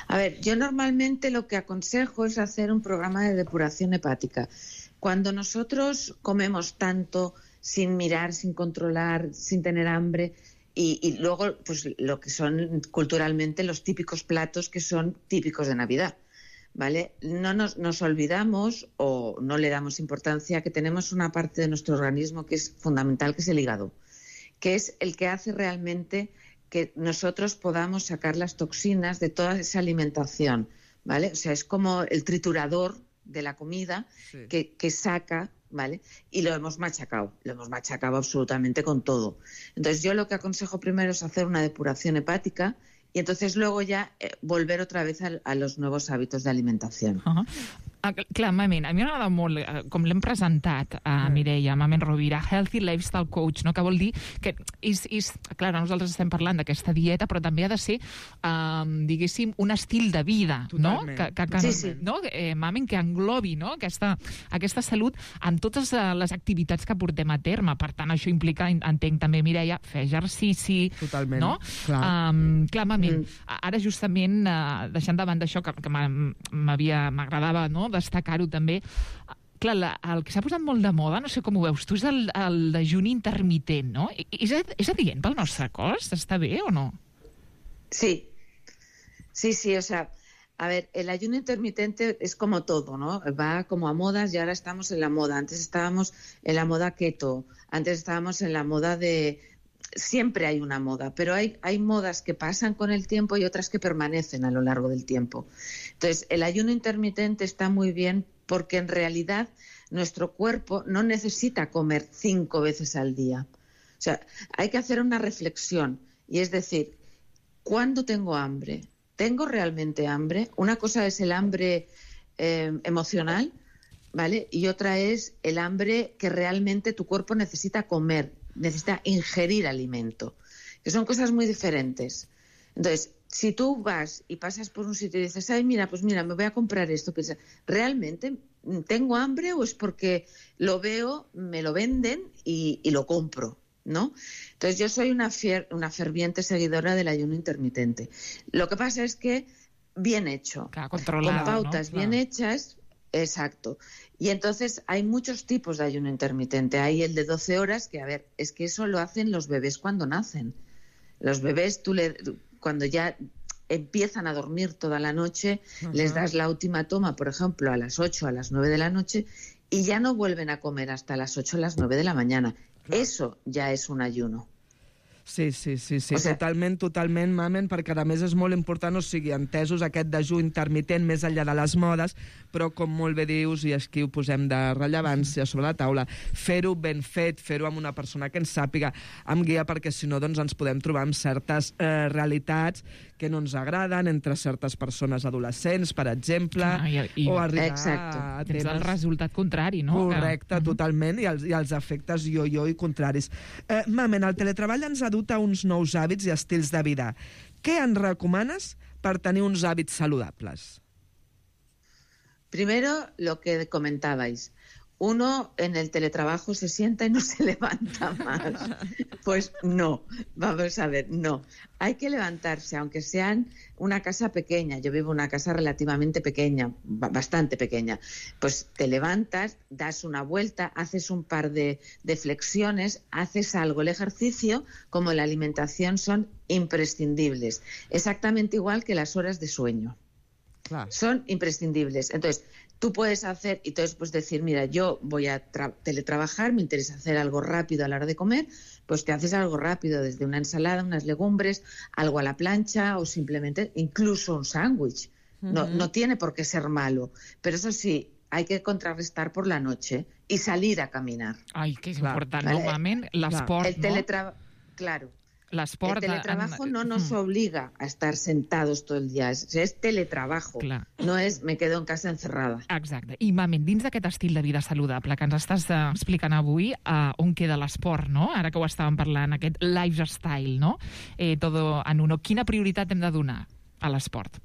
A ver, yo normalmente lo que aconsejo es hacer un programa de depuración hepática. Cuando nosotros comemos tanto sin mirar, sin controlar, sin tener hambre y luego pues lo que son culturalmente los típicos platos que son típicos de Navidad, ¿vale? No nos olvidamos o no le damos importancia que tenemos una parte de nuestro organismo que es fundamental, que es el hígado, que es el que hace realmente que nosotros podamos sacar las toxinas de toda esa alimentación, ¿vale? O sea, es como el triturador de la comida que saca, ¿vale? Y lo hemos machacado absolutamente con todo. Entonces yo lo que aconsejo primero es hacer una depuración hepática y entonces luego ya volver otra vez a los nuevos hábitos de alimentación. Clar, Mamen, a mi m'agrada molt com l'hem presentat a Mireia, Mamen Rovira, Healthy Lifestyle Coach, no? Que vol dir que clar, nosaltres estem parlant d'aquesta dieta, però també ha de ser, diguéssim, un estil de vida, no? No? Mamen, que englobi, no? Aquesta salut en totes les activitats que portem a terme. Per tant, això implica, entenc també, Mireia, fer exercici. Totalment, no? Clar, Mamen, ara justament, deixant de banda això, que m'agradava, no?, destacar-ho també. Clar, el que s'ha posat molt de moda, no sé com ho veus tu, és el dejuni intermitent, no? És adient pel nostre cos? Està bé o no? Sí, o sea, a ver, el ayuno intermitente es como todo, ¿no? Va como a modas y ahora estamos en la moda. Antes estábamos en la moda keto, antes estábamos en la moda de... Siempre hay una moda, pero hay modas que pasan con el tiempo y otras que permanecen a lo largo del tiempo. Entonces, el ayuno intermitente está muy bien porque en realidad nuestro cuerpo no necesita comer 5 veces al día. O sea, hay que hacer una reflexión y es decir, ¿cuándo tengo hambre? ¿Tengo realmente hambre? Una cosa es el hambre emocional, ¿vale? Y otra es el hambre que realmente tu cuerpo necesita comer, necesita ingerir alimento, que son cosas muy diferentes. Entonces, si tú vas y pasas por un sitio y dices, ay, mira, pues mira, me voy a comprar esto, piensa, ¿realmente tengo hambre o es porque lo veo, me lo venden y lo compro, ¿no? Entonces, yo soy una ferviente seguidora del ayuno intermitente. Lo que pasa es que bien hecho, con pautas, ¿no? Bien hechas. Exacto. Y entonces hay muchos tipos de ayuno intermitente. Hay el de 12 horas, que a ver, es que eso lo hacen los bebés cuando nacen. Los bebés, cuando ya empiezan a dormir toda la noche, les das la última toma, por ejemplo, a las 8, a las 9 de la noche, y ya no vuelven a comer hasta las 8 o las 9 de la mañana. Eso ya es un ayuno. Sí, o sigui, totalment, Mamen, perquè a més és molt important, o sigui, entesos aquest dejú intermitent més enllà de les modes, però com molt bé dius, i aquí ho posem de rellevància sobre la taula, fer-ho ben fet, fer-ho amb una persona que ens sàpiga, amb guia, perquè si no doncs ens podem trobar amb certes realitats que no ens agraden entre certes persones adolescents, per exemple, o arribar a temes... Tens el resultat contrari, no? Correcte, totalment, i els efectes yo-yo i contraris. Mamen, el teletreball ens ha dut a uns nous hàbits i estils de vida. Què ens recomanes per tenir uns hàbits saludables? Primero, lo que comentabais. Uno en el teletrabajo se sienta y no se levanta más. Pues no, vamos a ver, no. Hay que levantarse, aunque sean una casa pequeña. Yo vivo en una casa relativamente pequeña, bastante pequeña. Pues te levantas, das una vuelta, haces un par de flexiones, haces algo. El ejercicio, como la alimentación, son imprescindibles. Exactamente igual que las horas de sueño. Claro. Son imprescindibles. Entonces, tú puedes hacer, y entonces pues decir, mira, yo voy a teletrabajar, me interesa hacer algo rápido a la hora de comer, pues te haces algo rápido, desde una ensalada, unas legumbres, algo a la plancha o simplemente incluso un sándwich. No tiene por qué ser malo, pero eso sí, hay que contrarrestar por la noche y salir a caminar. Ai, que és important, ¿vale? Normalment l'esport, Claro. L'esport... El teletrabajo no nos obliga a estar sentados todo el día. Es teletrabajo. Clar. No es me quedo en casa encerrada. Exacte. I, Mamen, dins d'aquest estil de vida saludable que ens estàs explicant avui, on queda l'esport, no? Ara que ho estàvem parlant, aquest lifestyle, no? Todo en uno. Quina prioritat hem de donar a l'esport?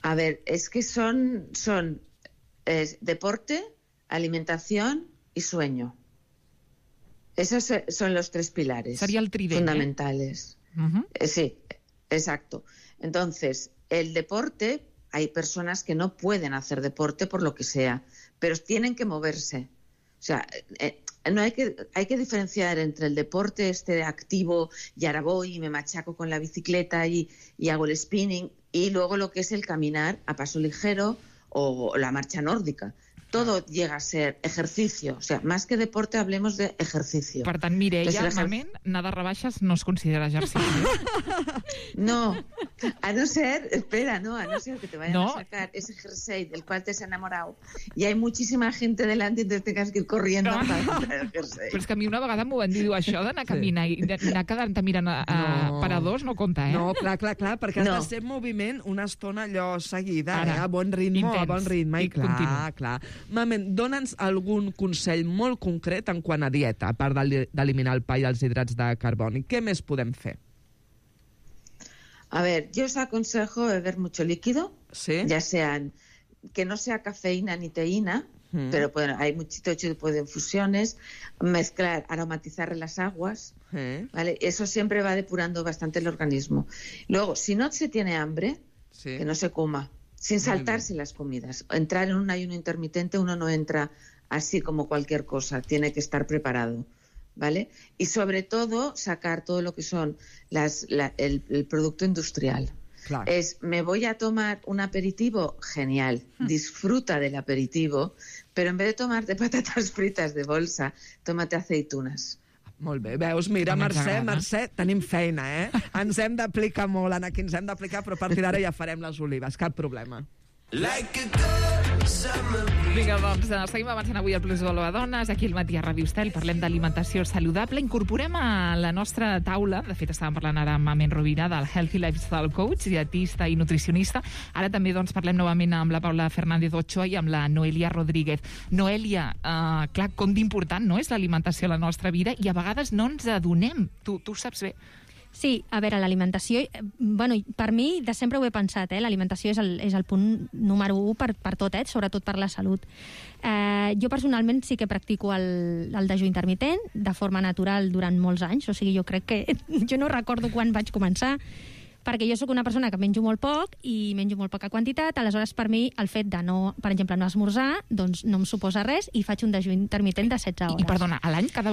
A ver, es que son deporte, alimentación y sueño. Esos son los tres pilares. Sería el tridente fundamentales. Sí, exacto. Entonces, el deporte, hay personas que no pueden hacer deporte por lo que sea, pero tienen que moverse. O sea, no hay que diferenciar entre el deporte activo y ahora voy y me machaco con la bicicleta y hago el spinning, y luego lo que es el caminar a paso ligero o la marcha nórdica. Todo llega a ser ejercicio. O sea, más que deporte, hablemos de ejercicio. Per tant, Mireia, Mamen, nadar rebaixes no es considera ejercicio. No, a no ser que te vayan a sacar ese jersey del cual te has enamorado y hay muchísima gente delante y te tengas que ir corriendo para comprar el jersey. Però és que a mi una vegada m'ho van dir, això d'anar a caminar i anar quedant-te mirant paradors no compta, No, clar, perquè has de ser en moviment una estona allò seguida, a bon ritme, i clar. Mamen, dona'ns algun consell molt concret en quant a dieta, a part d'eliminar el pa i els hidrats de carboni. Què més podem fer? A ver, yo os aconsejo beber mucho líquido, ya sean, que no sea cafeína ni teína, pero bueno, hay muchos tipos de infusiones, mezclar, aromatizar las aguas, ¿vale? Eso siempre va depurando bastante el organismo. Luego, si no se tiene hambre, que no se coma, sin saltarse las comidas. Entrar en un ayuno intermitente, uno no entra así como cualquier cosa, tiene que estar preparado, ¿vale? Y sobre todo, sacar todo lo que son el producto industrial. Claro. Me voy a tomar un aperitivo, genial, disfruta del aperitivo, pero en vez de tomarte patatas fritas de bolsa, tómate aceitunas. Molt bé, veus, mira, Mercè, tenim feina, Ens hem d'aplicar molt, aquí ens hem d'aplicar, però a partir d'ara ja farem les olives, cap problema. Vinga, doncs, seguim avançant avui al Plus Valor a Dones, aquí al matí a Ràdio Estel, parlem d'alimentació saludable, incorporem a la nostra taula, de fet estàvem parlant ara amb Mamen Rovira del Healthy Lifestyle Coach, dietista i nutricionista, ara també doncs parlem novament amb la Paula Fernández Ochoa i amb la Noelia Rodríguez. Noelia, clar, com d'important no és l'alimentació a la nostra vida i a vegades no ens adonem, tu ho saps bé. Sí, a veure, l'alimentació, bueno, per mi de sempre ho he pensat, l'alimentació és el punt número 1 per tot, sobretot per la salut. Jo personalment sí que practico el dejú intermitent de forma natural durant molts anys, o sigui, jo crec que jo no recordo quan vaig començar, perquè jo sóc una persona que menjo molt poc i menjo molt poca quantitat, aleshores per mi el fet de no, per exemple, no esmorzar, doncs no em suposa res i faig un dejú intermitent de 16 hores. I perdona, a l'any cada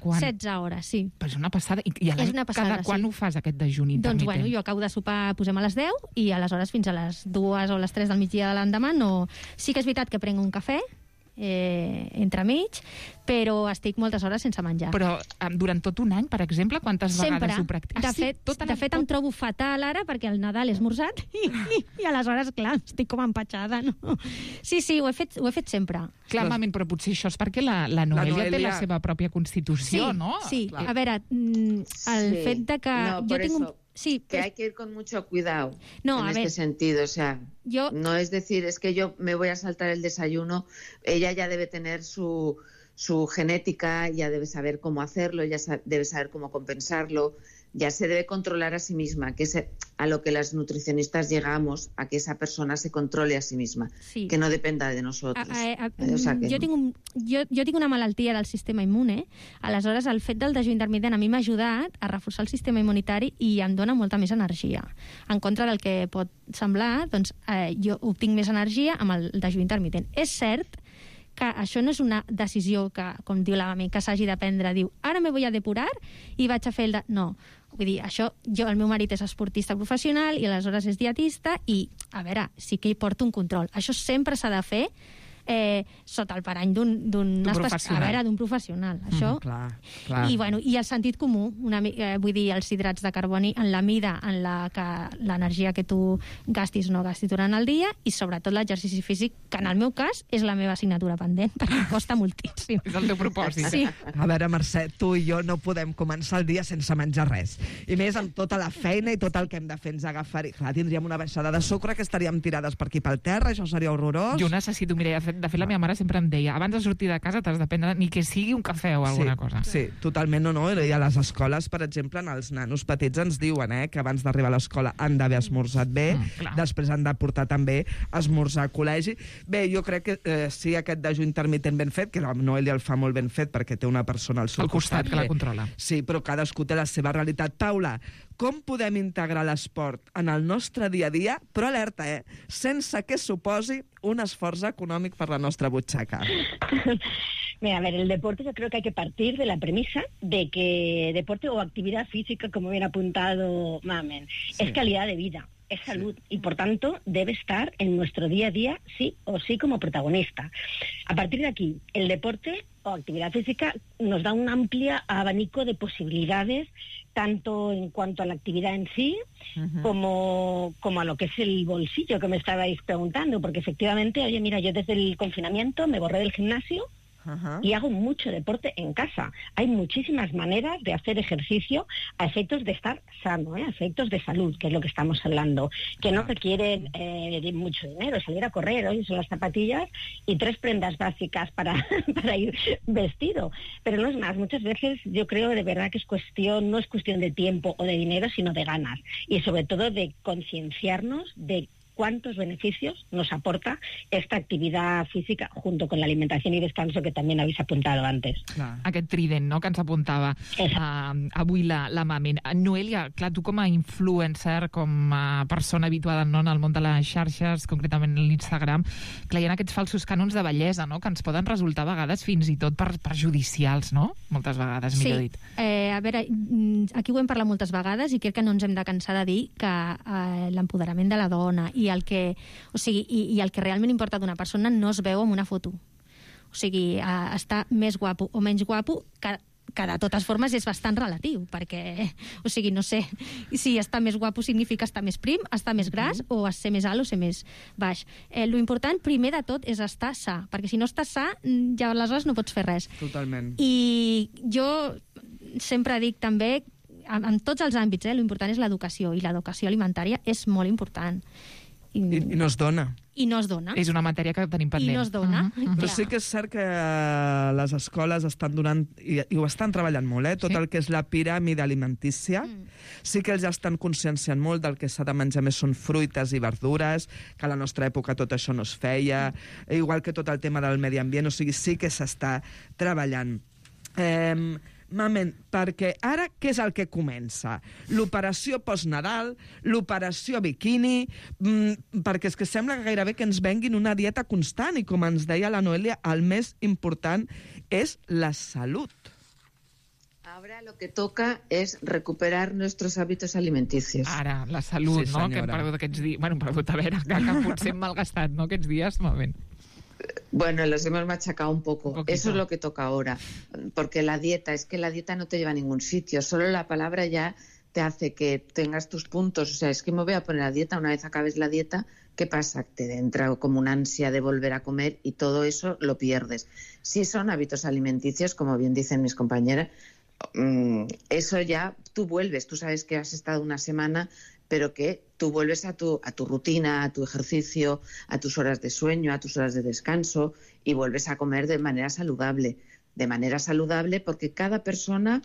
quan? 16 hores, sí. Però és una passada. I a l'any cada quan ho fas, aquest dejú intermitent? Doncs bueno, jo acabo de sopar, posem a les 10 i aleshores fins a les 2 o les 3 del migdia de l'endemà no... Sí que és veritat que prenc un cafè, entremig, però estic moltes hores sense menjar. Però durant tot un any, per exemple, quantes vegades ho practiques? De fet, em trobo fatal ara perquè el Nadal he esmorzat i aleshores, clar, estic com empatxada, no? Sí, ho he fet sempre. Clar, Mamen, però potser això és perquè la Noelia té la seva pròpia constitució, no? Sí, a veure, el fet de que jo tinc un... Sí, que hay que ir con mucho cuidado este sentido, o sea, no es decir, es que yo me voy a saltar el desayuno, ella ya debe tener su genética, ya debe saber cómo hacerlo, ya debe saber cómo compensarlo, ya se debe controlar a sí misma, que es a lo que las nutricionistas llegamos, a que esa persona se controle a sí misma, Sí. que no dependa de nosotros. O sea que... jo tinc una malaltia del sistema immune, aleshores el fet del dejú intermitent a mi m'ha ajudat a reforçar el sistema immunitari i em dona molta més energia. En contra del que pot semblar, doncs jo obtinc més energia amb el dejú intermitent. És cert que això no és una decisió que, com diu la mami, que s'hagi de prendre, diu, ara me voy a depurar i vaig a fer el... No, vull dir, això, el meu marit és esportista professional i aleshores és dietista i, a veure, sí que hi porto un control. Això sempre s'ha de fer sota el parany d'un professional. Això. Clar. I el sentit comú, vull dir, els hidrats de carboni en la mida en la que l'energia que tu gastis o no gastis durant el dia i sobretot l'exercici físic, que en el meu cas és la meva assignatura pendent, perquè em costa moltíssim. És el teu propòsit. Sí. A veure, Mercè, tu i jo no podem començar el dia sense menjar res. I més amb tota la feina i tot el que hem de fer ens agafar. Clar, tindríem una baixada de sucre que estaríem tirades per aquí pel terra, això seria horrorós. Jo necessito, Mireia, de fet la meva mare sempre em deia, abans de sortir de casa t'has de prendre ni que sigui un cafè o alguna cosa. Sí, totalment, no. I a les escoles, per exemple, els nanos petits ens diuen que abans d'arribar a l'escola han d'haver esmorzat bé, després han de portar també esmorzar a col·legi. Bé, jo crec que sí, aquest dejú intermitent ben fet, que la Noelia el fa molt ben fet perquè té una persona al seu costat que la controla. Sí, però cadascú té la seva realitat. Paula, com podem integrar l'esport en el nostre dia a dia, però alerta, sense que suposi un esforç econòmic per la nostra butxaca? Mira, a ver, el deporte yo creo que hay que partir de la premisa de que deporte o actividad física, como bien apuntado Mamen, es calidad de vida, es salud y por tanto debe estar en nuestro día a día sí o sí como protagonista. A partir de aquí, el deporte o actividad física nos da un amplio abanico de posibilidades, tanto en cuanto a la actividad en sí, como a lo que es el bolsillo que me estabais preguntando, porque efectivamente, oye, mira, yo desde el confinamiento me borré del gimnasio y hago mucho deporte en casa. Hay muchísimas maneras de hacer ejercicio a efectos de estar sano, a efectos de salud, que es lo que estamos hablando, que no requieren mucho dinero. Salir a correr, hoy son las zapatillas y 3 prendas básicas para ir vestido. Pero no es más, muchas veces yo creo de verdad que no es cuestión de tiempo o de dinero, sino de ganas. Y sobre todo de concienciarnos de cuántos beneficios nos aporta esta activitat física junto con la alimentación y descanso que també habéis apuntado antes. Aquest trident, no?, que ens apuntava avui la Mamen. Noelia, clar, tu com a influencer, com a persona habituada en el món de les xarxes, concretament l'Instagram, clar, hi ha aquests falsos cànons de bellesa, no?, que ens poden resultar a vegades fins i tot perjudicials, no?, moltes vegades, millor dit. A veure, aquí ho hem parlat moltes vegades i crec que no ens hem de cansar de dir que l'empoderament de la dona i el que realment importa d'una persona no es veu en una foto. O sigui, estar més guapo o menys guapo, que de totes formes és bastant relatiu, perquè, o sigui, no sé, si estar més guapo significa estar més prim, estar més gras, o ser més alt o ser més baix. Lo important, primer de tot, és estar sa, perquè si no estàs sa, ja aleshores no pots fer res. Totalment. I jo sempre dic també, en tots els àmbits, l'important és l'educació, i l'educació alimentària és molt important. I no es dona. I no es dona. És una matèria que tenim pendent. I no es dona. Però sí que és cert que les escoles estan donant, i ho estan treballant molt, tot el que és la piràmide alimentícia. Sí que ells estan conscienciant molt del que s'ha de menjar més són fruites i verdures, que a la nostra època tot això no es feia, igual que tot el tema del medi ambient, o sigui, sí que s'està treballant. Mamen, perquè ara què és el que comença? L'operació post-Nadal, l'operació biquini, perquè és que sembla que gairebé que ens venguin una dieta constant i, com ens deia la Noelia, el més important és la salut. Ahora lo que toca es recuperar nuestros hábitos alimenticios. Ara, la salut, sí, no?, que hem perdut aquests dies. Bueno, perdut, a veure, que potser hem malgastat, no?, aquests dies, Mamen. Bueno, los hemos machacado un poco. Eso es lo que toca ahora. Porque la dieta no te lleva a ningún sitio. Solo la palabra ya te hace que tengas tus puntos. O sea, es que me voy a poner a dieta. Una vez acabes la dieta, ¿qué pasa? Te entra como una ansia de volver a comer y todo eso lo pierdes. Si son hábitos alimenticios, como bien dicen mis compañeras, eso ya tú vuelves. Tú sabes que has estado una semana, pero que tú vuelves a tu rutina, a tu ejercicio, a tus horas de sueño, a tus horas de descanso y vuelves a comer de manera saludable. de manera saludable, porque cada persona,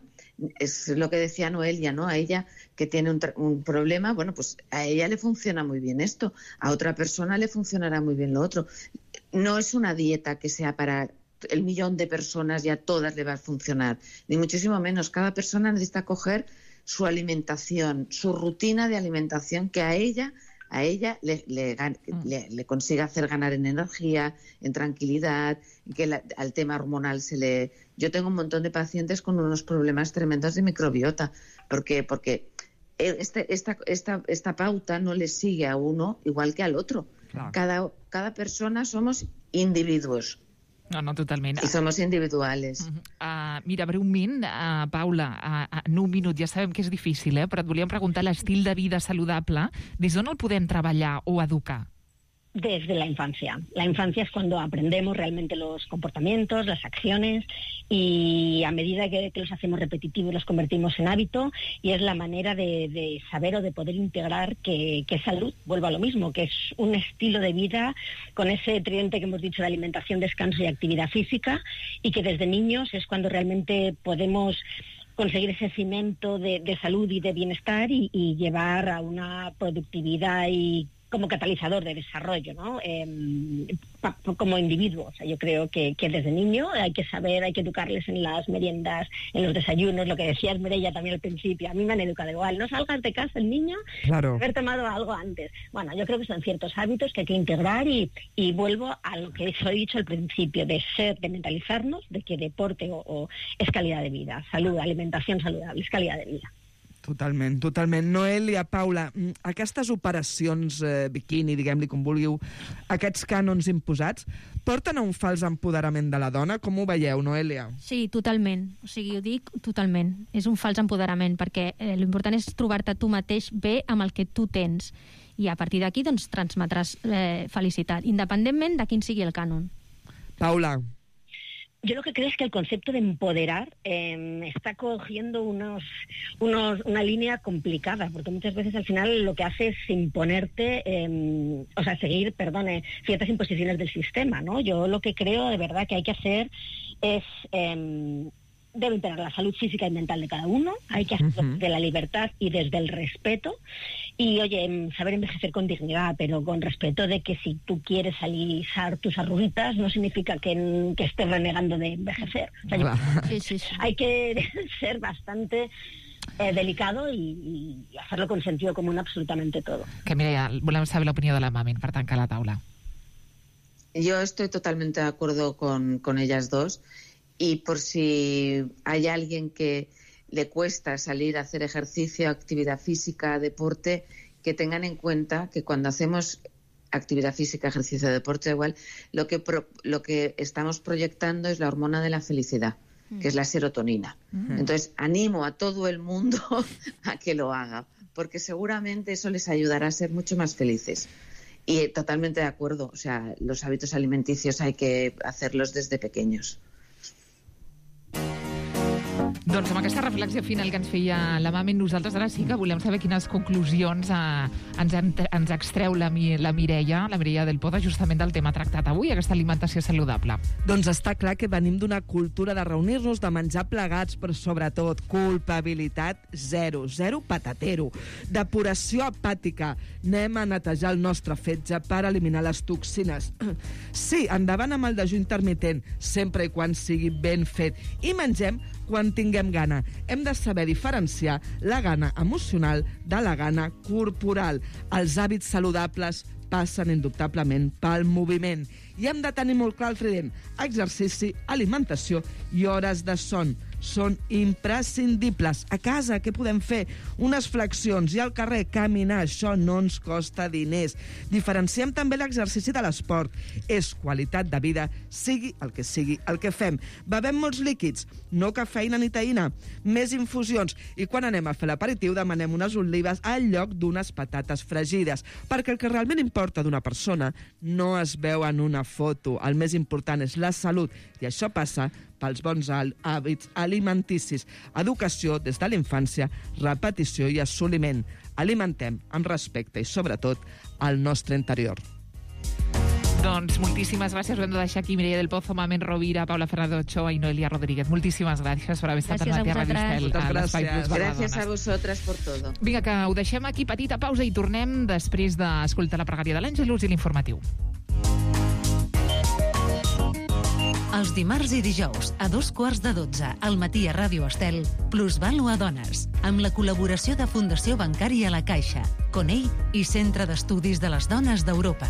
es lo que decía Noelia, ¿no? A ella que tiene un problema, bueno, pues a ella le funciona muy bien esto, a otra persona le funcionará muy bien lo otro. No es una dieta que sea para el millón de personas y a todas le va a funcionar, ni muchísimo menos. Cada persona necesita coger su alimentación, su rutina de alimentación que a ella le consiga hacer ganar en energía, en tranquilidad, que al tema hormonal Yo tengo un montón de pacientes con unos problemas tremendos de microbiota, porque esta pauta no le sigue a uno igual que al otro. Claro. Cada persona somos individuos. No, totalment. I somos individuales. Mira, breument, Paula, en un minut, ja sabem que és difícil, però et volíem preguntar l'estil de vida saludable, des d'on el podem treballar o educar? Desde la infancia. La infancia es cuando aprendemos realmente los comportamientos, las acciones, y a medida que los hacemos repetitivos los convertimos en hábito, y es la manera de saber o de poder integrar que salud, vuelvo a lo mismo, que es un estilo de vida con ese tridente que hemos dicho de alimentación, descanso y actividad física, y que desde niños es cuando realmente podemos conseguir ese cimiento de salud y de bienestar y llevar a una productividad y como catalizador de desarrollo, ¿no? Como individuo. O sea, yo creo que desde niño hay que saber, hay que educarles en las meriendas, en los desayunos, lo que decías, Mireia, también al principio. A mí me han educado igual. No salgas de casa el niño, claro, haber tomado algo antes. Bueno, yo creo que son ciertos hábitos que hay que integrar y vuelvo a lo que os he dicho al principio, de mentalizarnos de que deporte o es calidad de vida, salud, alimentación saludable, és calidad de vida. Totalment, totalment. Noelia, Paula, aquestes operacions biquini, diguem-li com vulgueu, aquests cànons imposats, porten a un fals empoderament de la dona? Com ho veieu, Noelia? Sí, totalment. O sigui, ho dic totalment. És un fals empoderament, perquè l'important és trobar-te tu mateix bé amb el que tu tens. I a partir d'aquí, doncs, transmetràs felicitat, independentment de quin sigui el cànon. Paula. Yo lo que creo es que el concepto de empoderar está cogiendo una línea complicada, porque muchas veces al final lo que hace es imponerte, seguir, ciertas imposiciones del sistema, ¿no? Yo lo que creo de verdad que hay que hacer es debe imperar la salud física y mental de cada uno, hay que hacerlo desde la libertad y desde el respeto, y oye, saber envejecer con dignidad, pero con respeto de que si tú quieres alisar tus arruguitas no significa que estés renegando de envejecer. O sea, hay que ser bastante delicado y hacerlo con sentido común absolutamente todo. Que Mireia, volem saber l'opinió de la Mamen per tancar la taula. Yo estoy totalmente de acuerdo con ellas dos. Y por si hay alguien que le cuesta salir a hacer ejercicio, actividad física, deporte, que tengan en cuenta que cuando hacemos actividad física, ejercicio, deporte, igual, lo que estamos proyectando es la hormona de la felicidad, que es la serotonina. Entonces, animo a todo el mundo a que lo haga, porque seguramente eso les ayudará a ser mucho más felices. Y totalmente de acuerdo, o sea, los hábitos alimenticios hay que hacerlos desde pequeños. Doncs amb aquesta reflexió final que ens feia la Mamen, nosaltres ara sí que volem saber quines conclusions ens extreu la Mireia del Poda, justament del tema tractat avui, aquesta alimentació saludable. Doncs està clar que venim d'una cultura de reunir-nos, de menjar plegats, però sobretot culpabilitat zero patatero, depuració hepàtica, anem a netejar el nostre fetge per eliminar les toxines. Sí, endavant amb el dejú intermitent, sempre i quan sigui ben fet, i mengem quan tinguem gana. Hem de saber diferenciar la gana emocional de la gana corporal. Els hàbits saludables passen indubtablement pel moviment. I hem de tenir molt clar el trident: exercici, alimentació i hores de son. Són imprescindibles. A casa, què podem fer? Unes flexions, i al carrer caminar, això no ens costa diners. Diferenciem també l'exercici de l'esport. És qualitat de vida, sigui el que fem. Bevem molts líquids, no cafeïna ni taïna, més infusions, i quan anem a fer l'aperitiu demanem unes olives al lloc d'unes patates fregides, perquè el que realment importa d'una persona no es veu en una foto. El més important és la salut, i això passa pels bons hàbits alimenticis. Educació des de la infància, repetició i assoliment. Alimentem amb respecte i, sobretot, el nostre interior. Doncs moltíssimes gràcies. Ho hem de deixar aquí. Mireia del Pozo, Mamen Rovira, Paula Ferrado Ochoa i Noelia Rodríguez. Moltíssimes gràcies per haver estat al matí a Radio Estel. Gràcies a vosaltres por todo. Vinga, que ho deixem aquí. Petita pausa i tornem després d'escoltar la pregària de l'Àngelus i l'informatiu. Els dimarts i dijous, a 2:15 al matí a Ràdio Estel, Plusvalua Dones, amb la col·laboració de Fundació Bancària La Caixa, Conell i Centre d'Estudis de les Dones d'Europa.